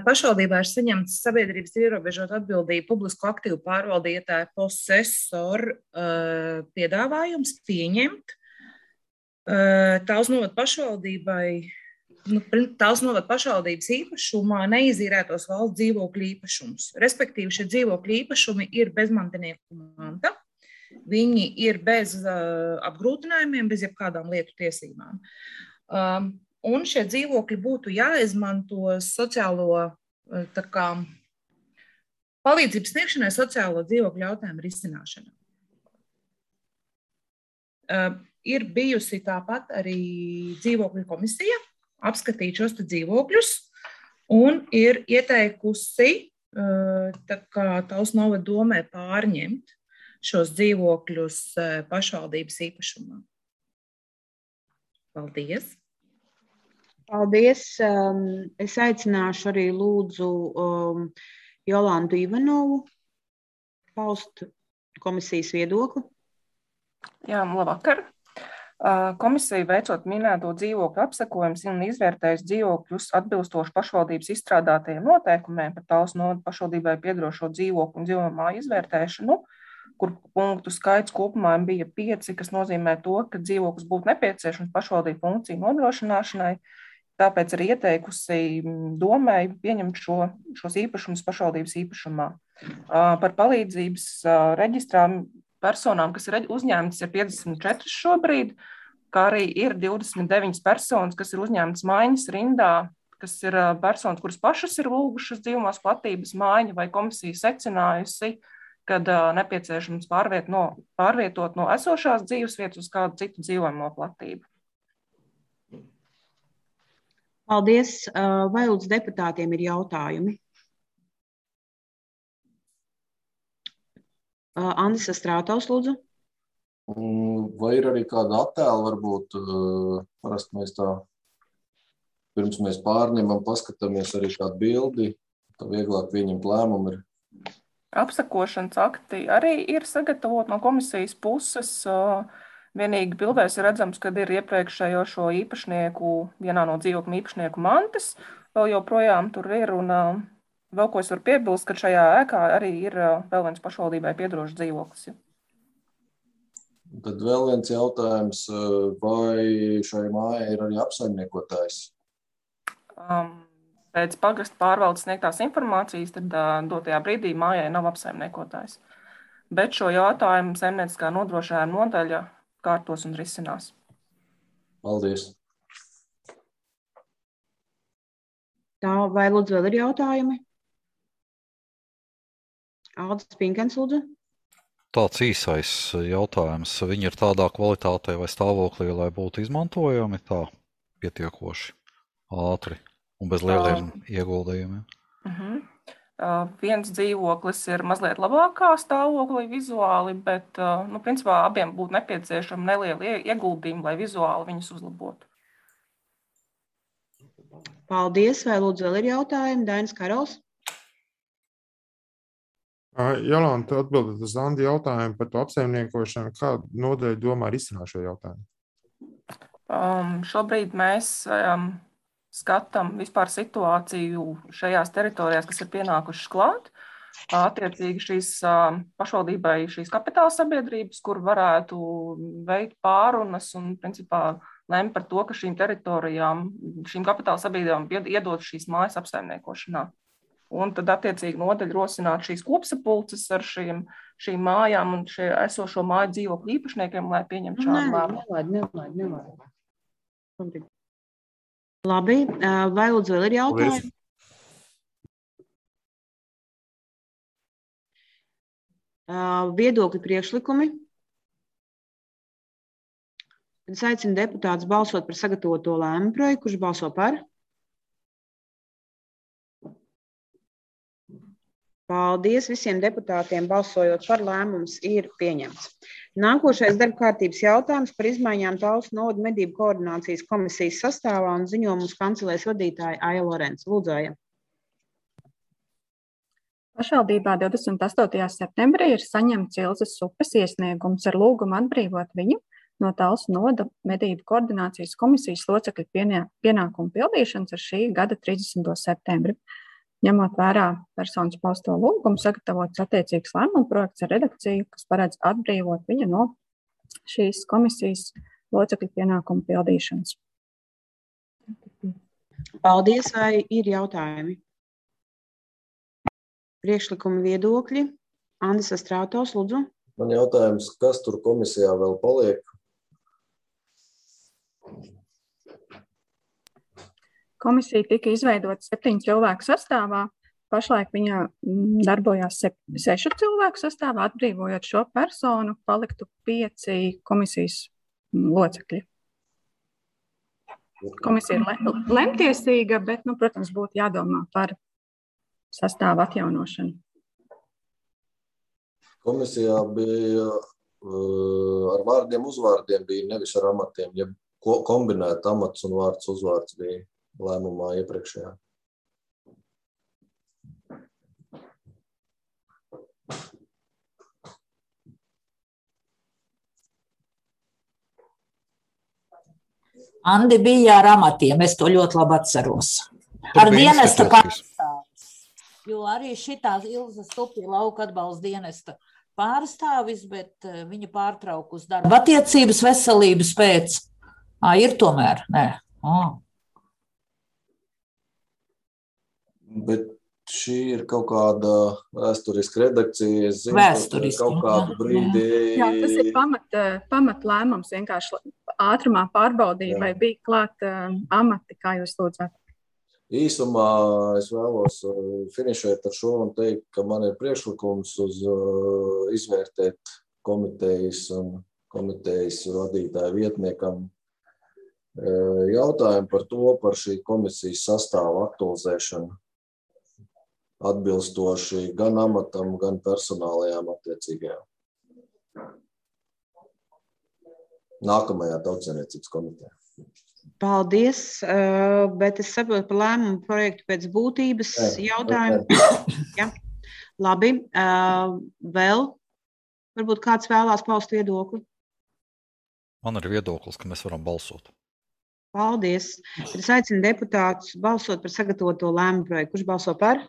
Pašvaldībā ir saņemts sabiedrības ierobežot atbildību publisko aktīvu pārvaldītāju posesoru piedāvājums pieņemt Tallas novada pašvaldībai nu, Talsu novada pašvaldības īpašumā neizīrētos valsts dzīvokļu īpašumus. Respektīvi, šie dzīvokļu īpašumi ir bezmantinieku manta, viņi ir bez uh, apgrūtinājumiem, bez jebkādām lietu tiesībām. Um, un šie dzīvokļi būtu jāizmanto sociālo uh, tā kā, palīdzības sniegšanai sociālo dzīvokļu jautājumu risināšanā. Uh, ir bijusi tāpat arī dzīvokļu komisija, apskatīt šos dzīvokļus un ir ieteikusi tā kā Talsu novada domē pārņemt šos dzīvokļus pašvaldības īpašumā. Paldies! Paldies! Es aicināšu arī lūdzu Jolantu Ivanovu paust komisijas viedokli. Jā, labvakar! Komisija veicot minēto dzīvokļu apsekojumus un izvērtējusi dzīvokļus atbilstoši pašvaldības izstrādātajiem noteikumiem par Talsu novada pašvaldībai piederošo dzīvokļu un dzīvojamo māju izvērtēšanu, kur punktu skaits kopumā bija pieci, kas nozīmē to, ka dzīvoklis būtu nepieciešams pašvaldību funkciju nodrošināšanai, tāpēc arī ieteikusi domai pieņemt šo, šos īpašumus pašvaldības īpašumā. Par palīdzības reģistrām personām, kas ir uzņēmtas, ir piecdesmit četri šobrīd, kā arī ir divdesmit deviņas personas, kas ir uzņēmtas maiņas rindā, kas ir personas, kuras pašas ir lūgušas dzīvumās platības maiņu vai komisija secinājusi, kad nepieciešams pārviet no, pārvietot no esošās dzīvesvietas uz kādu citu dzīvojamo platību. Paldies. Vai lūdzu deputātiem ir jautājumi? Andis Strātaus, lūdzu. Vai ir arī kāda attēla, varbūt parasti mēs tā, pirms mēs pārņemam, paskatāmies arī kādu bildi, tā vieglāk pieņemt lēmumu ir. Apsekošanas akti arī ir sagatavot no komisijas puses. Vienīgi bildēs ir redzams, kad ir iepriekšējo šo īpašnieku, vienā no dzīvokļu īpašnieku mantas, vēl joprojām tur ir un vēl ko es varu piebilst, ka šajā ēkā arī ir vēl viens pašvaldībai piederošs dzīvoklis. Tad vēl viens jautājums, vai šai mājai ir arī apsaimniekotājs? Um, pēc pagasta pārvaldes sniegtās informācijas, tad uh, dotajā brīdī mājai nav apsaimniekotājs. Bet šo jautājumu saimnieciskā nodrošinājuma nodaļa kārtos un risinās. Paldies. Tā, vai lūdzu vēl ir jautājumi? Aldis Pinkens, lūdzu. Tāds īsais jautājums. Viņi ir tādā kvalitātē vai stāvoklī, lai būtu izmantojami tā pietiekoši ātri un bez lieliem uh, ieguldījumiem? Uh-huh. Uh, viens dzīvoklis ir mazliet labākā stāvoklī vizuāli, bet uh, nu, principā abiem būtu nepieciešami nelieli ieguldījumi, lai vizuāli viņus uzlabotu. Paldies. Vai lūdzu vēl ir jautājumi? Dainis Karols. Jolanta, atbildot uz Andi jautājumu par to apsaimniekošanu, kādu nodaļu domā risināt šo jautājumu? Um, šobrīd mēs um, skatām vispār situāciju šajās teritorijās, kas ir pienākušas klāt. Attiecīgi šīs um, pašvaldībai šīs kapitāla sabiedrības, kur varētu veikt pārunas un principā lem par to, ka šīm teritorijām, šīm kapitāla sabiedrībām iedod šīs mājas apsaimniekošanā. Un tad attiecīgi nodaļa rosināt šīs kopsapulces ar šīm, šīm mājām un šie esošo māju dzīvokļu īpašniekiem, lai pieņemtu šādu lēmumu. Nelaid, nelaid, nelaid. Labi, vai lūdzu vēl ir jautājumi? Viedokļi priekšlikumi. Es aicinu deputātus balsot par sagatavoto lēmumu projektu, kurš balso par. Paldies visiem deputātiem, balsojot par, lēmums ir pieņemts. Nākošais darba kārtības jautājums par izmaiņām Talsu novada medību koordinācijas komisijas sastāvā un ziņo mums kancelēs vadītāja Aija Lorence. Lūdzu, Aija. Pašvaldībā divdesmit astotajā septembrī ir saņemts Ilzes upes iesniegums ar lūgumu atbrīvot viņu no Talsu novada medību koordinācijas komisijas locekļu pienākumu pildīšanas ar šī gada trīsdesmito septembri. Ņemot vērā personas pausto lūgumu, sagatavots attiecīgs lēmuma projekts ar redakciju, kas paredz atbrīvot viņu no šīs komisijas locekļu pienākumu pildīšanas. Paldies, vai ir jautājumi? Priekšlikumi, viedokļi. Andis Astrātovs, lūdzu. Man jautājums, kas tur komisijā vēl paliek? Komisija tika izveidota septiņu cilvēku sastāvā. Pašlaik viņa darbojās sešu cilvēku sastāvā, atbrīvojot šo personu, paliktu pieci komisijas locekļi. Komisija ir lemtiesīga, bet, nu, protams, būtu jādomā par sastāvu atjaunošanu. Komisijā bija uh, ar vārdiem, uzvārdiem bija nevis ar amatiem, ja kombinēt amats un vārds uzvārds bija lēmumā iepriekšējā. Andi bija ar amatiem, es to ļoti labi atceros. Ar dienesta pārstāvis, jo arī šitās Ilza Stupja lauka atbalsta dienesta pārstāvis, bet viņa pārtraukus darba attiecības veselības pēc. Ā, ir tomēr, nē. Ā. Bet šī ir kaut kāda vēsturiska redakcija, es zinu, Vēsturiski, kaut kādu brīdi... Jā, tas ir pamat, pamat lēmums, vienkārši ātrumā pārbaudīja, vai bija klāt uh, amati, kā jūs lūdzat. Īsumā es vēlos finišēt ar šo un teikt, ka man ir priekšlikums uz uh, izvērtēt komitejas un komitejas vadītāju vietniekam uh, jautājumu par to, par šī komisijas sastāvu aktualizēšanu atbilstoši gan amatam, gan personālajām attiecīgajām. Nākamajā Tautssaimniecības komitejā. Paldies, bet es saprotu par lēmumu projektu pēc būtības jautājumu. Ja. Labi, vēl varbūt kāds vēlās paust viedokli? Man ir viedoklis, ka mēs varam balsot. Paldies. Es aicinu deputātus balsot par sagatavoto lēmumu projektu. Kurš balso par?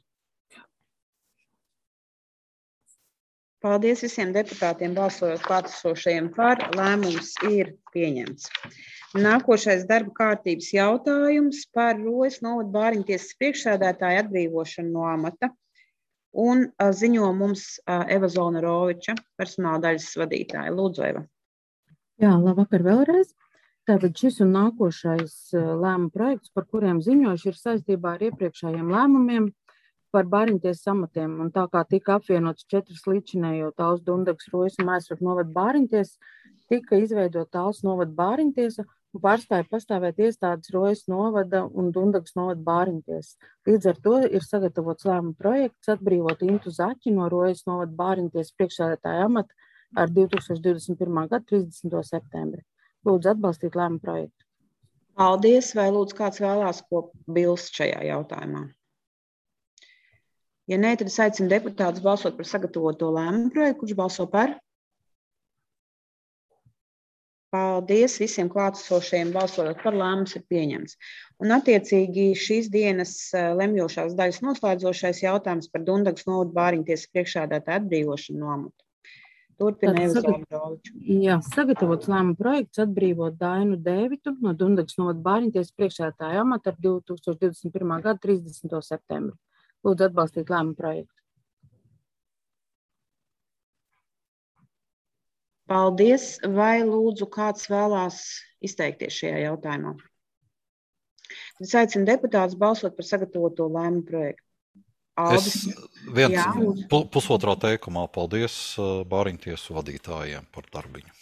Paldies visiem deputātiem balsojot klātesošajiem par. Lēmums ir pieņemts. Nākošais darba kārtības jautājums par Rojas novada Bāriņtiesas priekšsēdētāju atbrīvošanu no amata. Un ziņo mums Eva Zolnaroviča, personāla daļas vadītāja. Lūdzu, Eva. Jā, labvakar vēlreiz. Tātad šis un nākošais lēmuma projekts, par kuriem ziņojuši, ir saistībā ar iepriekšējiem lēmumiem par Bāriņtiesas amatiem, un tā kā tika apvienots četras līdzinējo Talsu, Dundagas, Rojas un Maisraku novada Bāriņtiesas, tika izveidot Talsu novada Bāriņtiesa un pārstāja pastāvēt iestādes Rojas novada un Dundagas novada Bāriņtiesas. Līdz ar to ir sagatavots lēmuma projekts atbrīvot Intu Zaķi no Rojas novada Bāriņtiesas priekšsēdētāja amata ar divi tūkstoši divdesmit pirmā gada trīsdesmito septembri. Lūdzu atbalstīt lēmuma projektu. Paldies, vai lūdzu kāds vēlās ko bilst šajā jautājumā? Ja nē, tad es aicinu deputātus balsot par sagatavoto lēmumu projektu. Kurš balso par? Paldies visiem klātesošajiem balsojot par. Lēmums ir pieņemts. Un attiecīgi šīs dienas lemjošās daļas noslēdzošais jautājums par Dundagas novada Bāriņtiesas priekšsēdētāju atbrīvošanu no amata. Turpina Eva Zolnaroviča. Jā, sagatavots lēmuma projekts atbrīvot Dainu Dēvitu no Dundagas novada Bāriņtiesas priekšsēdētāja amata ar divi tūkstoši divdesmit pirmā gada trīsdesmito septembri. Lūdzu atbalstīt lēmumu projektu. Paldies. Vai lūdzu kāds vēlās izteikties šajā jautājumā? Es aicinu deputātus balsot par sagatavoto lēmumu projektu. Aldis. Es viens Jā, pu, pusotrā teikumā paldies Bāriņtiesu vadītājiem par darbiņu.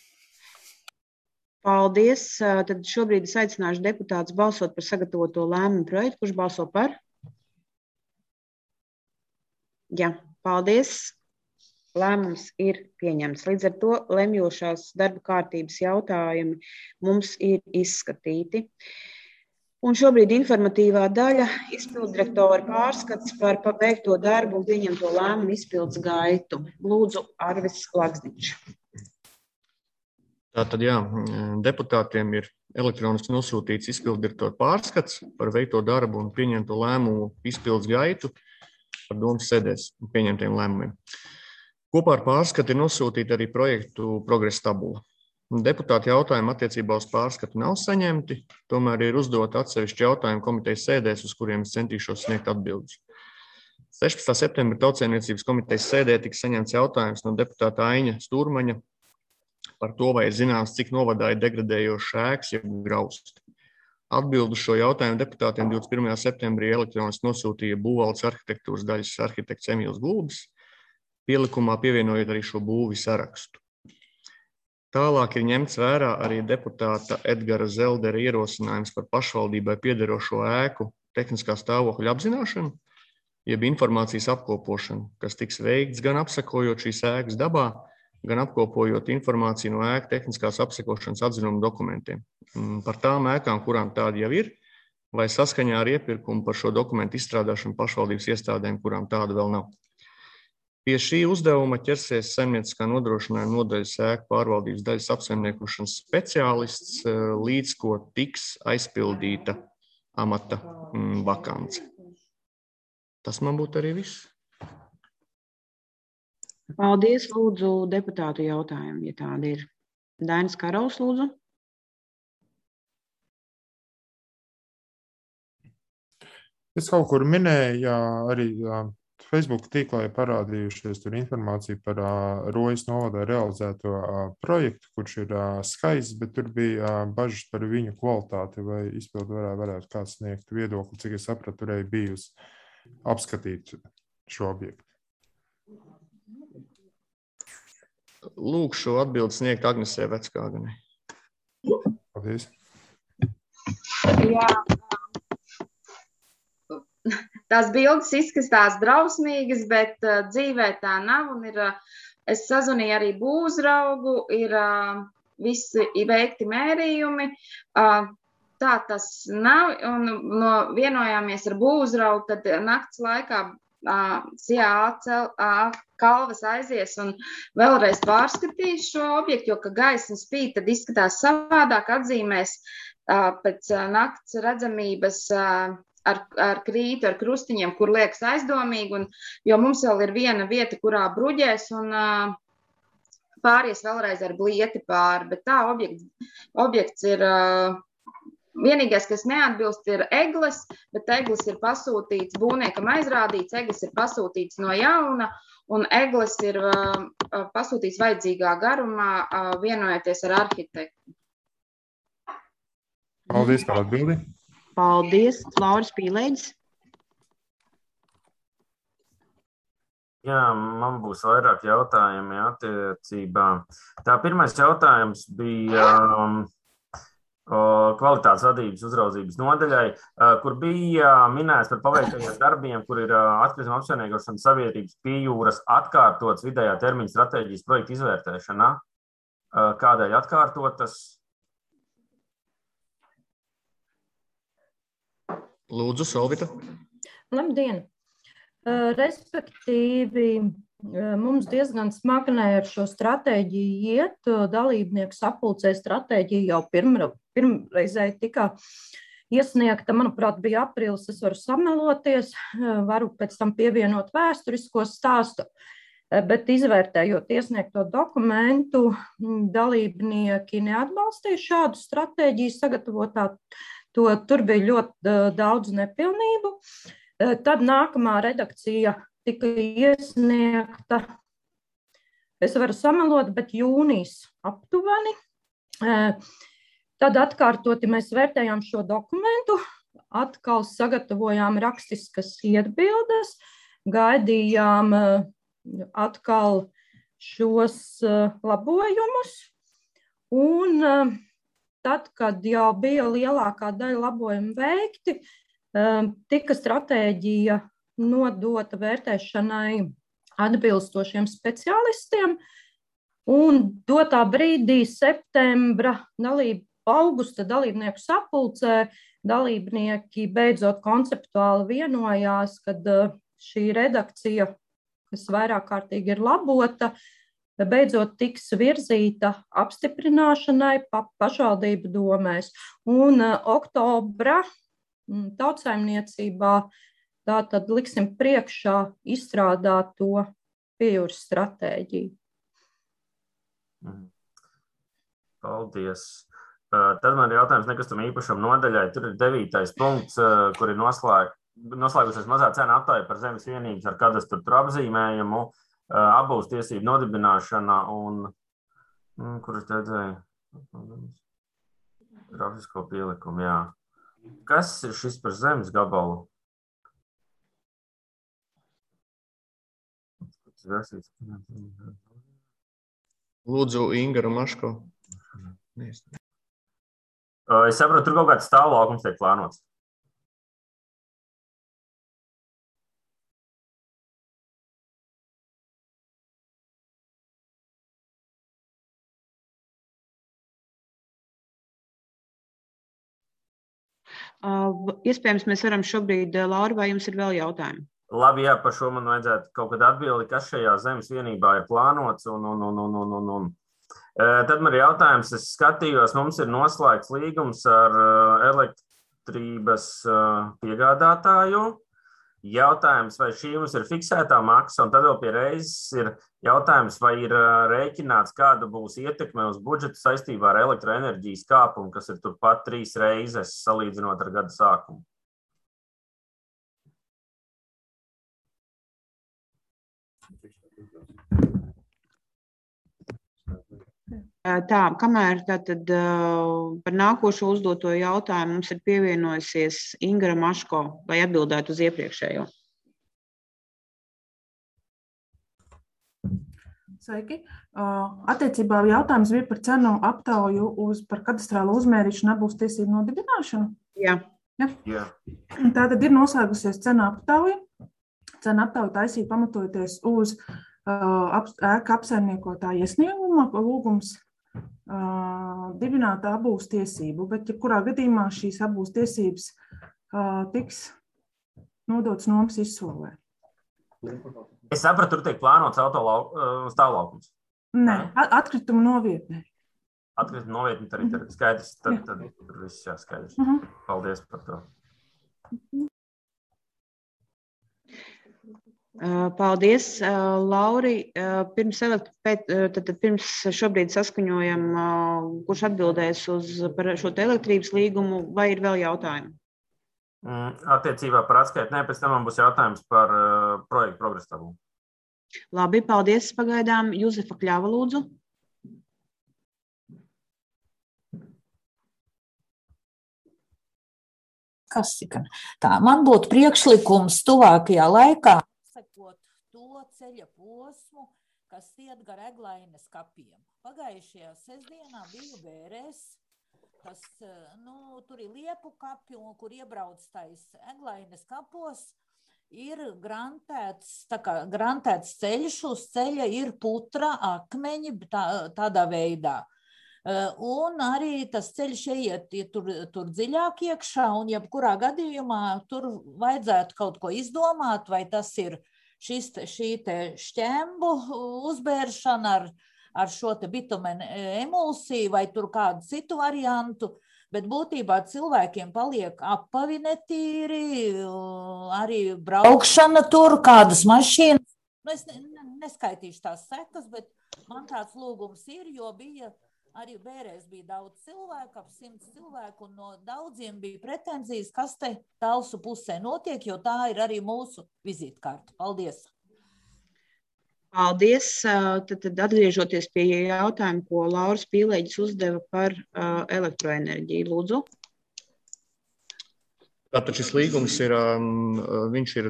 Paldies. Tad šobrīd es aicināšu deputātus balsot par sagatavoto lēmumu projektu. Kurš balso par? Jā, paldies. Lēmums ir pieņemts. Līdz ar to lemjošās darba kārtības jautājumi mums ir izskatīti. Un šobrīd informatīvā daļa izpilddirektora pārskats par pabeigto darbu un pieņemto lēmumu izpildes gaitu. Lūdzu, Arvis Lagzdiņš. Tātad, jā, deputātiem ir elektroniski nosūtīts izpilddirektora pārskats par veikto darbu un pieņemto lēmumu izpildes gaitu par domas sēdēs pieņemtiem lēmumiem. Kopā ar pārskatu ir nosūtīta arī projektu progresa tabula. Deputāti jautājumi attiecībā uz pārskatu nav saņemti, tomēr ir uzdot atsevišķi jautājumu komitejas sēdēs, uz kuriem es centīšos sniegt atbildes. sešpadsmitā septembra Tautsaimniecības komitejas sēdē tika saņemts jautājums no deputāta Aiņa Stūrmaņa par to, vai ir zināms, cik novadā ir degradējošs ēkas, jeb grausti. Atbildu šo jautājumu deputātiem divdesmit pirmajā septembrī elektroniski nosūtīja būvvaldes arhitektūras daļas arhitekts Emīls Gulbis, pielikumā pievienojot arī šo būvi sarakstu. Tālāk ir ņemts vērā arī deputāta Edgara Zeldera ierosinājums par pašvaldībai piederošo ēku tehniskā stāvokļa apzināšanu, jeb informācijas apkopošanu, kas tiks veikts gan apsekojot šīs ēkas dabā, gan apkopojot informāciju no ēku tehniskās apsekošanas atzinuma dokumentiem. Par tām ēkām, kurām tādi jau ir, vai saskaņā ar iepirkumu par šo dokumentu izstrādāšanu pašvaldības iestādēm, kurām tāda vēl nav. Pie šī uzdevuma ķersies saimnieciskā nodrošinājuma nodaļas ēku pārvaldības daļas apsaimniekošanas speciālists, līdz ko tiks aizpildīta amata vakance. Tas man būtu arī viss. Paldies, lūdzu, deputātu jautājumu, ja tādi ir. Dainis Karols, lūdzu. Es kaut kur minēju, jā, arī jā, Facebook tīklā ir parādījušies tur informācija par uh, Rojas novadā realizēto uh, projektu, kurš ir uh, skaists, bet tur bija uh, bažas par viņu kvalitāti, vai izpildu varētu, varētu kāds sniegt viedokli, cik es sapratu, turēja bijusi apskatīt šo objektu. Lūkšu atbildi sniegt Agnesē Veckāganei. Paldies. Jā. Tās bildes izskatās drausmīgas, bet uh, dzīvē tā nav. Un ir, uh, es sazvanīju arī būvzraugu, ir uh, visi veikti mērījumi. Uh, tā tas nav. Un no, vienojāmies ar būvzraugu, tad nakts laikā uh, C A A Kalvas aizies un vēlreiz pārskatīs šo objektu, jo, ka gaisma spīd, tad izskatās savādāk, atzīmēs uh, pēc uh, nakts redzamības uh, Ar, ar krītu, ar krustiņiem, kur liekas aizdomīgi, un, jo mums vēl ir viena vieta, kurā bruģēs, un uh, pāries vēlreiz ar blieti pāri, bet tā objekts, objekts ir, uh, vienīgais, kas neatbilst, ir egles, bet egles ir pasūtīts, būvniekam aizrādīts, egles ir pasūtīts no jauna, un egles ir uh, pasūtīts vajadzīgā garumā, uh, vienojoties ar arhitektu. Paldies par atbildi. Paldies, Lauris Pīlēģis. Jā, man būs vairāk jautājumi attiecībā. Tā pirmais jautājums bija um, kvalitātes vadības uzraudzības nodaļai, uh, kur bija minēts par paveiktajiem darbiem, kur ir uh, atkrituma apsaimniekošanas sabiedrības Pie jūras atkārtots vidējā termiņa stratēģijas projekta izvērtēšanā. Uh, kādēļ atkārtotas? Lūdzu, Solvita. Labdien! Respektīvi, mums diezgan smagnē ar šo stratēģiju iet. Dalībnieku sapulcē stratēģija jau pirma, pirmreizēji tika iesniegta, manuprāt, bija aprīlis, es varu sameloties, varu pēc tam pievienot vēsturisko stāstu, bet izvērtējot iesniegto dokumentu, dalībnieki neatbalstīja šādu stratēģiju sagatavotā. To, tur bija ļoti daudz nepilnību. Tad nākamā redakcija tika iesniegta, es varu samelot, bet jūnijas aptuveni. Tad atkārtoti mēs vērtējām šo dokumentu, atkal sagatavojām rakstiskas iebildes, gaidījām atkal šos labojumus un tad, kad jau bija lielākā daļa labojumu veikti, tika stratēģija nodota vērtēšanai atbilstošiem speciālistiem, un dotā brīdī septembra, dalība, augusta dalībnieku sapulcē dalībnieki beidzot konceptuāli vienojās, kad šī redakcija, kas vairāk kārtīgi ir labota, beidzot tiks virzīta apstiprināšanai pa pašvaldību domēs. Un uh, oktobra mm, tautsaimniecībā tātad liksim priekšā izstrādāt to Pie jūras stratēģiju. Paldies. Tad man ir jautājums nekustamā īpašuma nodaļai. Tur ir devītais punkts, kur ir noslēg, noslēgusies mazā cena aptāja par zemes vienības ar kadastru apzīmējumu, apbūves tiesību nodibināšana un, kur es redzēju, grafisko pielikumu, jā. Kas ir šis par zemes gabalu? Lūdzu, Inga Maško. Es saprotu, tur kaut kāds stāvlaukums tiek plānots. Iespējams, mēs varam šobrīd, Laura, vai jums ir vēl jautājumi? Labi, jā, par šo man vajadzētu kaut kad atbildi, kas šajā zemes vienībā ir plānots. Un, un, un, un, un, un. Tad man ir jautājums, es skatījos, mums ir noslēgts līgums ar elektrības piegādātāju. Jautājums, vai šī mums ir fiksētā maksa, un tad vēl pie reizes ir jautājums, vai ir rēķināts, kāda būs ietekme uz budžetu saistībā ar elektroenerģijas kāpumu, kas ir turpat trīs reizes salīdzinot ar gada sākumu. Tā, kamēr tātad par nākošo uzdoto jautājumu mums ir pievienojusies Inga Maško, lai atbildētu uz iepriekšējo. Sveiki. Attiecībā jautājums bija par cenu aptauju uz par kadastrālu uzmērīšanu apbūves tiesību nodibināšanu. Jā. Ja? Jā. Tātad ir noslēgusies cena aptauja. Cena aptauja taisīja pamatojoties uz ēka apsaimniekotāja iesnieguma lūgums uh, dibināt apbūves tiesību, bet jebkurā gadījumā šīs apbūves tiesības uh, tiks nodotas nomas izsolē. Es sapratu, tur tiek plānots stāvlaukums. Nē, atkritumu novietnē. Atkritumu novietnē arī ir skaidrs, tad, tad tur viss jāskaidrs. Uh-huh. Paldies par to. Paldies, Lauri. Pirms, pēc, tad, pirms šobrīd saskaņojam, kurš atbildēs uz par šo te elektrības līgumu, vai ir vēl jautājumi? Attiecībā par atskaitu, nē, pēc tam man būs jautājums par uh, projektu progresu tabulu. Labi, paldies pagaidām. Juzefa Kļava, lūdzu. Kas ir? Tā, man būtu priekšlikums tuvākajā laikā sekot to ceļa posmu, kas iet gar Eglainas kapiem. Pagājušajā sestdienā biju Bērēs, kas, nu, tur ir Liepu kapi, un kur iebrauc tais Eglainas kapos, ir grantēts, tā kā grantēts ceļš, uz ceļa ir putra, akmeņi, tā, tādā veidā. Un arī tas ceļš iet tur, tur dziļāk iekšā, un jebkurā gadījumā tur vajadzētu kaut ko izdomāt, vai tas ir šis, šī te šķembu uzbēršana ar, ar šo te bitumenu emulsiju, vai tur kādu citu variantu, bet būtībā cilvēkiem paliek apavi netīri, arī braukšana tur, kādas mašīnas. Nu, es neskaitīšu tās sekas, bet man tāds lūgums ir, jo bija arī Bērēs bija daudz cilvēku, ap simts cilvēku, un no daudziem bija pretenzijas, kas te Talsu pusē notiek, jo tā ir arī mūsu vizītkārta. Paldies! Paldies! Tad, tad atgriežoties pie jautājuma, ko Lauris Pīlēģis uzdeva par uh, elektroenerģiju. Lūdzu! Tātad šis līgums ir, um, viņš ir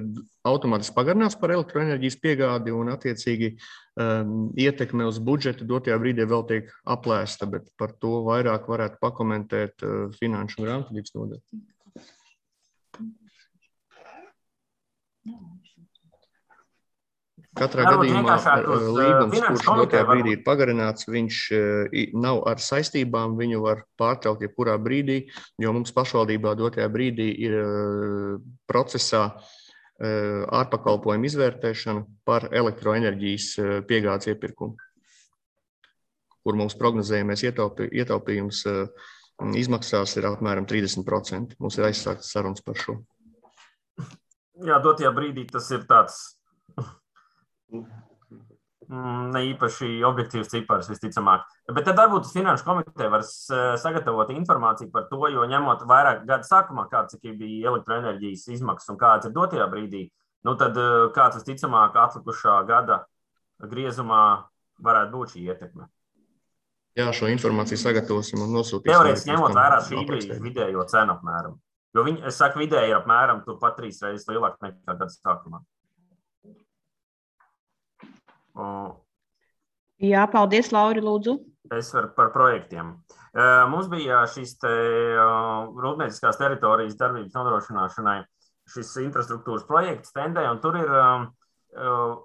automātiski pagarināts par elektroenerģijas piegādi un attiecīgi um, ietekme uz budžetu dotajā brīdī vēl tiek aplēsta, bet par to vairāk varētu pakomentēt uh, finanšu un grāmatvedības nodaļa. Katrā gadījumā līgums, kurš dotajā brīdī ir pagarināts, viņš nav ar saistībām, viņu var pārtraukt jebkurā brīdī, jo mums pašvaldībā dotajā brīdī ir procesā ārpakalpojumu izvērtēšana par elektroenerģijas piegādes iepirkumu, kur mums prognozējamais ietaupījums izmaksās ir apmēram trīsdesmit procenti. Mums ir aizsāktas sarunas par šo. Jā, dotajā brīdī tas ir tāds ne īpaši objektīvs cipars, visticamāk. Bet tad varbūt Finanšu komiteja var sagatavot informāciju par to, jo ņemot vairāk gadu sākumā, kāds bija elektroenerģijas izmaksas un kāds ir dotajā brīdī, nu tad kāds visticamāk atlikušā gada griezumā varētu būt šī ietekme. Jā, šo informāciju sagatavosim un nosūtīsim. Teorētiski ņemot vērā šī brīža vidējo cenu apmēram. Jo viņi, es saku, vidēji ir apmēram turpat trīs reizes lielāk nekā gada sākumā. Uh, Jā, paldies, Lauri, lūdzu. Es varu par projektiem. Uh, mums bija šis te uh, rūpnieciskās teritorijas darbības nodrošināšanai šis infrastruktūras projekts Tendē, un tur ir uh, uh,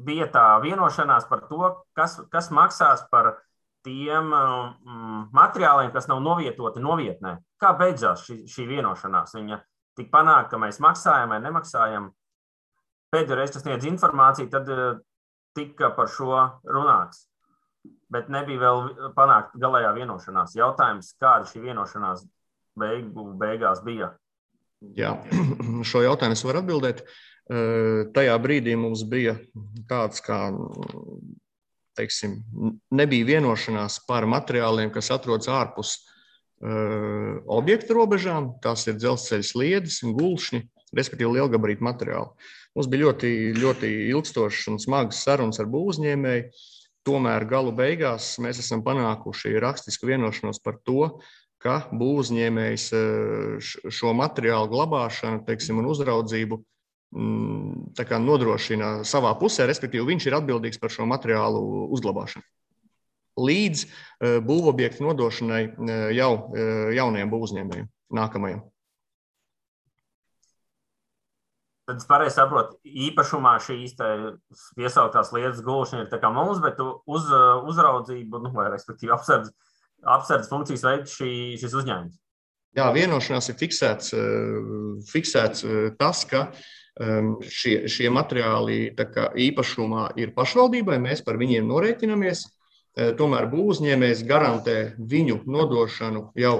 bija tā vienošanās par to, kas, kas maksās par tiem um, materiāliem, kas nav novietoti novietnē. Kā beidzās šī, šī vienošanās? Viņa tik panāk, ka mēs maksājam vai nemaksājam. Pēdējo reizi, kas sniedz informāciju, tad uh, tika par šo runāts. Bet nebija vēl panākt galējā vienošanās. Jautājums, kāda šī vienošanās beigu, beigās bija? Jā, šo jautājumu es varu atbildēt. Uh, tajā brīdī mums bija kāds kā... Teiksim, nebija vienošanās par materiāliem, kas atrodas ārpus uh, objekta robežām. Tās ir dzelzceļa sliedes un gulšņi, respektīvi lielgabarītu materiāli. Mums bija ļoti, ļoti ilgstošas un smagas sarunas ar būvuzņēmēju. Tomēr galu beigās mēs esam panākuši rakstisku vienošanos par to, ka būvuzņēmējs šo materiālu glabāšanu, teiksim, un uzraudzību tā kā nodrošina savā pusē, respektīvi viņš ir atbildīgs par šo materiālu uzglabāšanu. Līdz būvobjektu nodošanai jau jaunajiem būvuzņēmējiem, nākamajiem. Tad es pareizi saprotu, īpašumā šīs piesauktās lietas gulšana ir tā kā mums, bet uz uzraudzību, nu, vai respektīvi apsardz, apsardz funkcijas veids šī, šis uzņēmums. Jā, vienošanās ir fiksēts, fiksēts tas, ka Šie, šie materiāli tā kā īpašumā ir pašvaldībai, mēs par viņiem norēķinamies, tomēr būvuzņēmējs garantē viņu nodošanu jau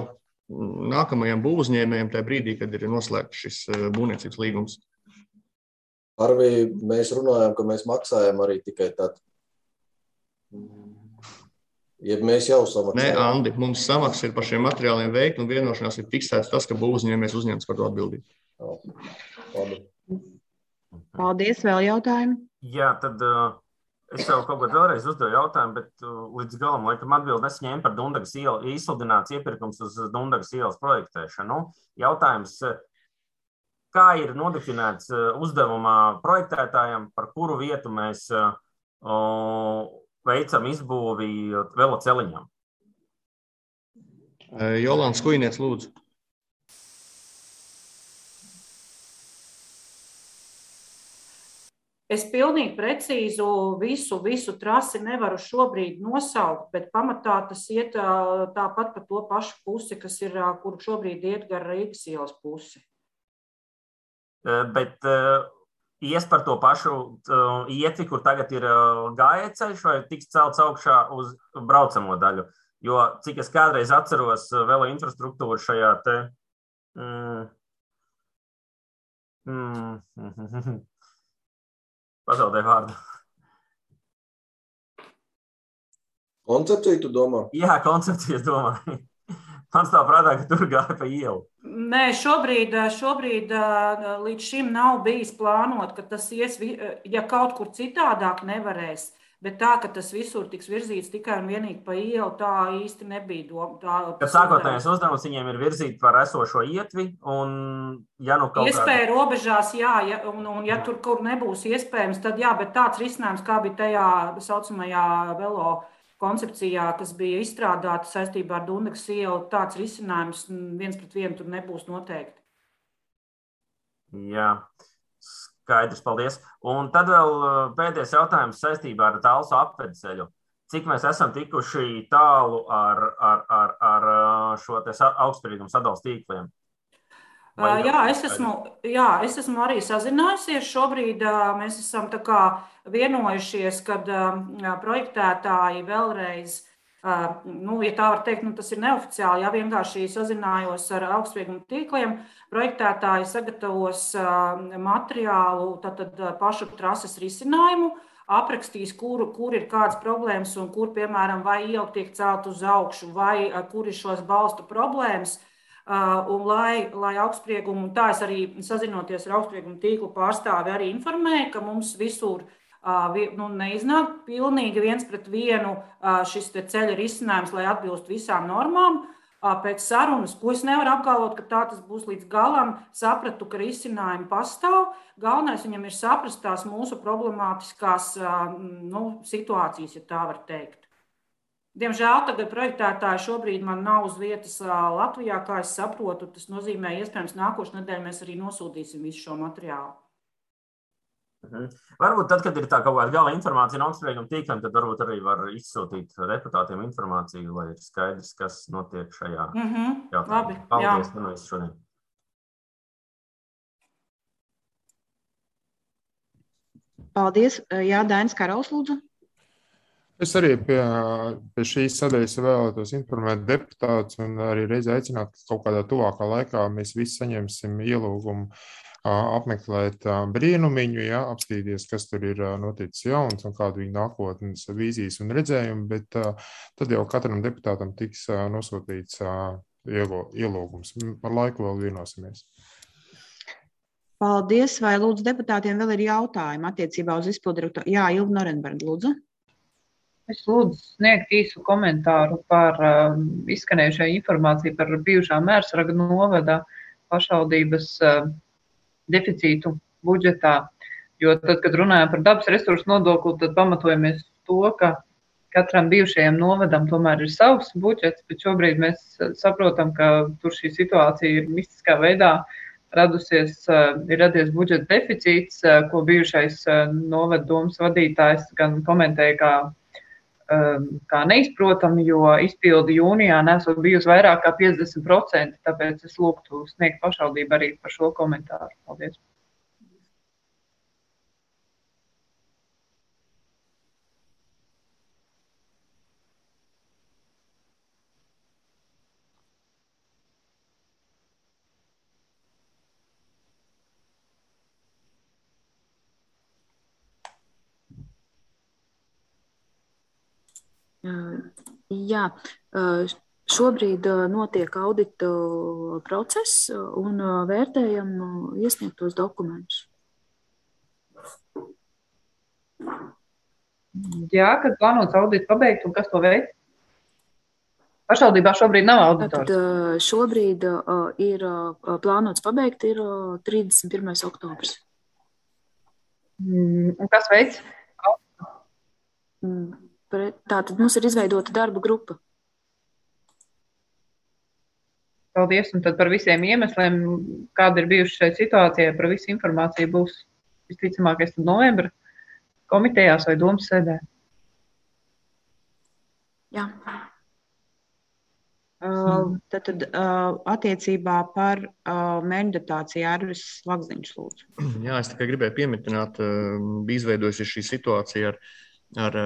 nākamajam būvuzņēmējam tajā brīdī, kad ir noslēgts šis būvniecības līgums. Arvi, mēs runājam, ka mēs maksājam arī tikai tad. Ja mēs jau samaksājam. Nē, Andi, mums samaksa ir par šiem materiāliem veikt un vienošanās ir fiksēts tas, ka būvuzņēmējs uzņems par to atbildību. Labi. Paldies, vēl jautājumi? Jā, tad uh, es jau kaut ko vēlreiz uzdevu jautājumu, bet uh, līdz galam, laikam, atbildi es ņēmu par Dundagas ielu, izsludināts iepirkums uz Dundagas ielas projektēšanu. Jautājums, kā ir nodefinēts uh, uzdevumā projektētājiem, par kuru vietu mēs uh, veicam izbūvi veloceliņam? Jolanta Skujnieks, lūdzu. Es pilnīgi precīzu visu, visu trasi nevaru šobrīd nosaukt, bet pamatā tas iet tāpat par to pašu pusi, kas ir, kur šobrīd iet gar Rīgas ielas pusi. Bet ies par to pašu ietvi, kur tagad ir gājējceļš, vai tiks celts augšā uz braucamo daļu? Jo, cik es kādreiz atceros velo infrastruktūru šajā te... Mm, mm, Pazaudēju vārdu. Koncepciju tu domā? Jā, koncepciju es domāju. Man stāv prātā, ka tur gāja pa ielu. Nē, šobrīd, šobrīd līdz šim nav bijis plānot, ka tas ies, ja kaut kur citādāk nevarēs, bet tā, ka tas visur tiks virzīts tikai un vienīgi pa ielu, tā īsti nebija doma. Kad sākotnējais uzdevums viņiem ir virzīt par esošo ietvi, un ja nu kaut iespēja kādā... robežās, jā, ja, un, un ja tur kur nebūs iespējams, tad jā, bet tāds risinājums, kā bija tajā saucamajā velo koncepcijā, kas bija izstrādāta saistībā ar Dundagas ielu, tāds risinājums viens pret vienu tur nebūs noteikti. Jā. Skaidrs, paldies. Un tad vēl pēdējais jautājums saistībā ar Talsu apvedceļu. Cik mēs esam tikuši tālu ar, ar, ar, ar šo augstsprieguma sadales tīkliem? Vai jā, es esmu, jā, es esmu arī sazinājusies. Šobrīd mēs esam tā kā vienojušies, kad projektētāji vēlreiz, nu, ja tā var teikt, nu, tas ir neoficiāli, jā, vienkārši sazinājos ar augstsprieguma tīkliem. Projektētāji sagatavos materiālu, tātad pašu trases risinājumu, aprakstīs, kur, kur ir kādas problēmas un kur, piemēram, vai iela tiek celt uz augšu, vai kur ir šos balstu problēmas. Un lai, lai augstsprieguma, un tā es arī sazinoties ar augstsprieguma tīklu pārstāvi arī informēju, ka mums visur nu, neiznāk pilnīgi viens pret vienu šis te ceļa risinājums, lai atbilst visām normām. Pēc sarunas, ko es nevaru apgalvot, ka tā tas būs līdz galam, sapratu, ka risinājumi pastāv. Galvenais viņam ir saprast tās mūsu problemātiskās nu, situācijas, ja tā var teikt. Diemžēl tagad projektētāji šobrīd man nav uz vietas Latvijā, kā es saprotu. Tas nozīmē, iespējams, nākošu nedēļu mēs arī nosūtīsim visu šo materiālu. Mhm. Varbūt tad, kad ir tā kaut kāda gala informācija no augstsprieguma tīkliem, tad varbūt arī var izsūtīt deputātiem informāciju, lai ir skaidrs, kas notiek šajā Mhm, jautājumā. labi, Paldies, jā. nu visu šodien. Paldies. Jā, Dainis Karaus, lūdzu. Es arī pie, pie šīs sadaļas vēlētos informēt deputātus un arī reiz aicināt, ka kaut kādā tuvākā laikā mēs visi saņemsim ielūgumu apmeklēt brīnumiņu, ja, apstīties, kas tur ir noticis jauns un kādu viņa nākotnes vīzijas un redzējumu, bet tad jau katram deputātam tiks nosūtīts ielūgums. Par laiku vēl vienosimies. Paldies. Vai lūdzu deputātiem vēl ir jautājumi attiecībā uz izpildirektoru? Jā, Ilga Norenberga, lūdzu. Es lūdzu sniegt īsu komentāru par uh, izskanējušo informāciju par bijušā Mērsraga novada pašvaldības uh, deficītu budžetā. Jo tad, kad runājam par dabas resursu nodokli, tad pamatojamies to, ka katram bijušajam novadam tomēr ir savs budžets, bet šobrīd mēs saprotam, ka tur šī situācija ir mistiskā veidā radusies, uh, ir radies budžeta deficīts, uh, ko bijušais uh, novada domas vadītājs gan komentēja kā kā neizprotami, jo izpildi jūnijā nesot bijusi vairāk kā piecdesmit procenti, tāpēc es lūgtu sniegt pašvaldību arī par šo komentāru. Paldies. Jā, šobrīd notiek audita process un vērtējam iesniegtos dokumentus. Jā, kad plānots audits pabeigt un kas to veids? Pašvaldībā šobrīd nav auditors. Tad šobrīd ir plānots pabeigt ir trīsdesmit pirmais oktobris. Un kas veids? Tātad mums ir izveidota darba grupa. Paldies, un tad par visiem iemesliem, kāda ir bijuši šai situācijai, par visu informāciju būs visticamākais tad novembra komitejās vai domas sēdē. Jā. Uh, tad, tad uh, attiecībā par uh, mērķdotāciju Arvis Lagziņš, lūdzu. Jā, es tikai gribēju pieminēt, uh, bija izveidojusi šī situācija ar ar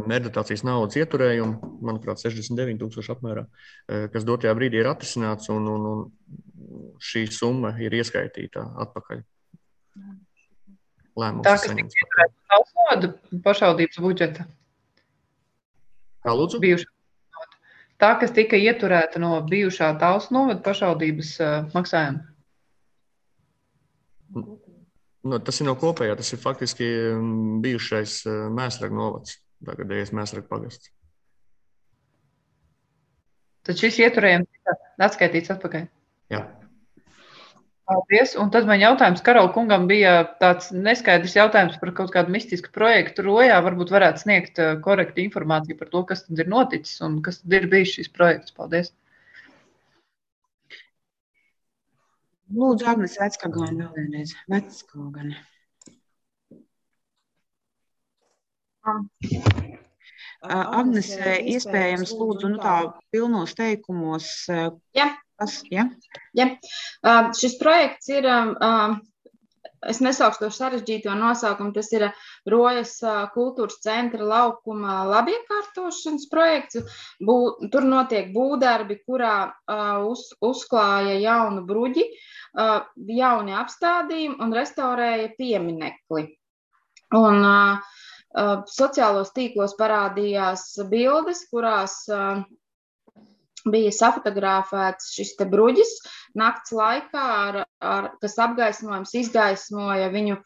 mērķdotācijas naudas ieturējumu, manuprāt, sešdesmit deviņi tūkstoši apmērā, kas dotajā brīdī ir atrisināts, un, un, un šī summa ir ieskaitīta atpakaļ. Lēmums tā, kas tika ieturēta Talsnovada pašvaldības budžeta? Kā lūdzu? Bijušā. Tā, kas tika ieturēta no bijušā Talsnovada pašvaldības uh, maksājuma? No, tas ir no kopējā, tas ir faktiski bijušais Mērsraga novads, tagadējais Mērsraga pagasts. Tad šis ieturējums tika atskaitīts atpakaļ? Jā. Paldies. Un tad man jautājums Karola kungam bija tāds neskaidrs jautājums par kaut kādu mistisku projektu Rojā. Varbūt varētu sniegt korektu informāciju par to, kas tad ir noticis un kas tad ir bijis šis projekts. Paldies. Lūdzu, Agnes Veckaugane vēl vienreiz. Veckaugane. Agnes, iespējams, lūdzu, nu tā pilnos teikumos. Jā. Kas, ja? Jā. Šis projekts ir, es nesaukšu to sarežģīto nosaukumu, tas ir Rojas kultūras centra laukuma labiekārtošanas projekts. Bū, tur notiek būvdarbi, kurā uz, uzklāja jaunu bruģi, jauni apstādījumi un restaurēja pieminekli. Un sociālos tīklos parādījās bildes, kurās bija safotografēts šis te bruģis nakts laikā, ar, ar, kas apgaismojums izgaismoja viņu,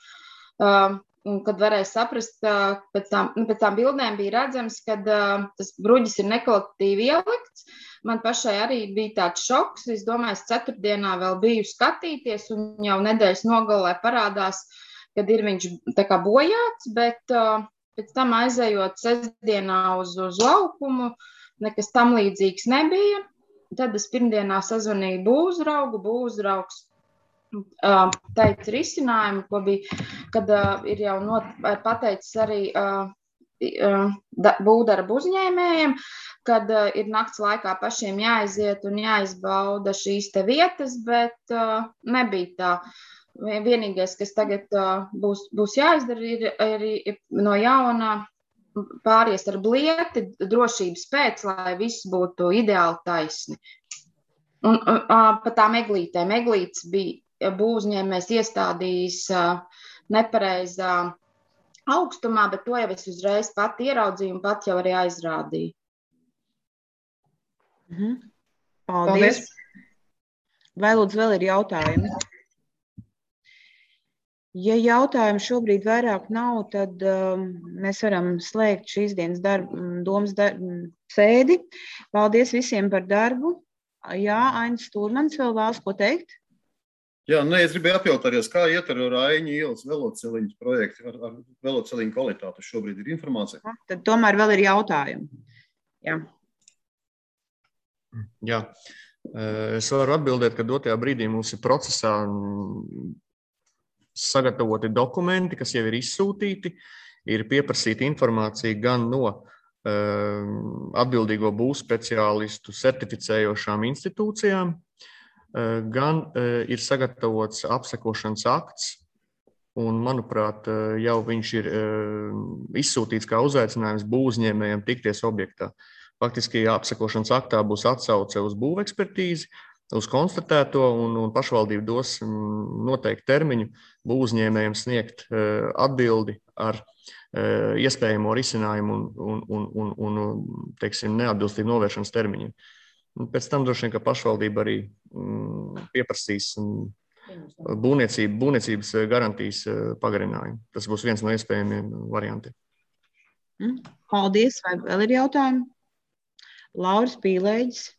un kad varēja saprast, pēc tām, pēc tām bildēm bija redzams, ka tas bruģis ir nekvalitatīvi ielikts. Man pašai arī bija tāds šoks. Es domāju, es ceturtdienā vēl biju skatīties, un jau nedēļas nogalē parādās, kad ir viņš tā kā bojāts, bet pēc tam aizējot sestdienā uz, uz laukumu, nekas tam līdzīgs nebija. Tad es pirmdienā sazvanīju būvzraugu, būvzraugs uh, teica risinājumu, ko bija, kad uh, ir jau not, pateicis arī uh, uh, būvdarbu uzņēmējiem, kad uh, ir nakts laikā pašiem jāaiziet un jāizbauda šīs te vietas, bet uh, nebija tā. Vienīgais, kas tagad uh, būs, būs jāizdara, ir, ir, ir no jauna pāries ar blieti drošības pēc, lai viss būtu ideāli taisni. Un pa tām eglītēm. Eglītes bija būvuzņēmējs iestādījis nepareizā augstumā, bet to jau es uzreiz pat ieraudzīju un pat jau arī aizrādīju. Mhm. Paldies. Paldies. Vai lūdzu vēl ir jautājumi? Ja jautājumu šobrīd vairāk nav, tad um, mēs varam slēgt šīs dienas darbu, domas darbu sēdi. Paldies visiem par darbu. Jā, Ainis Stūrmans vēl vēlas ko teikt? Jā, nē, es gribēju apjautāties, kā iet ar Raiņu ielas veloceliņu projektu, ar, ar veloceliņu kvalitāti šobrīd ir informācija? Tad tomēr vēl ir jautājumi. Jā. Jā, es varu atbildēt, ka dotajā brīdī mums ir procesā sagatavoti dokumenti, kas jau ir izsūtīti, ir pieprasīta informācija gan no uh, atbildīgo būvspeciālistu certificējošām institūcijām, uh, gan uh, ir sagatavots apsekošanas akts, un, manuprāt, uh, jau viņš ir uh, izsūtīts kā uzaicinājums būvuzņēmējiem tikties objektā. Faktiski apsekošanas aktā būs atsauce uz būvekspertīzi, uz konstatēto, un, un pašvaldība dos noteikti termiņu būvuzņēmējiem sniegt uh, atbildi ar uh, iespējamo risinājumu un, un, un, un, un teiksim, neatbilstību novēršanas termiņiem. Un pēc tam droši vien, ka pašvaldība arī um, pieprasīs um, būvniecība, būvniecības garantijas uh, pagarinājumu. Tas būs viens no iespējamiem variantiem. Paldies. Vai vēl ir jautājumi? Lauris Pīlēģis.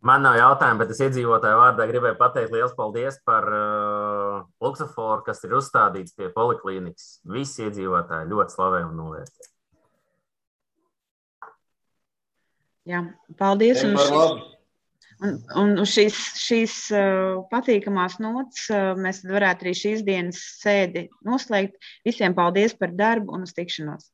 Man nav jautājumu, bet es iedzīvotāju vārdā gribēju pateikt liels paldies par uh, luksuforu, kas ir uzstādīts pie poliklīnikas. Visi iedzīvotāji ļoti slavē un novērtē. Jā, paldies. Un, šis, un, un uz šīs, šīs uh, patīkamās nots uh, mēs varētu arī šīs dienas sēdi noslēgt. Visiem paldies par darbu un uz tikšanos.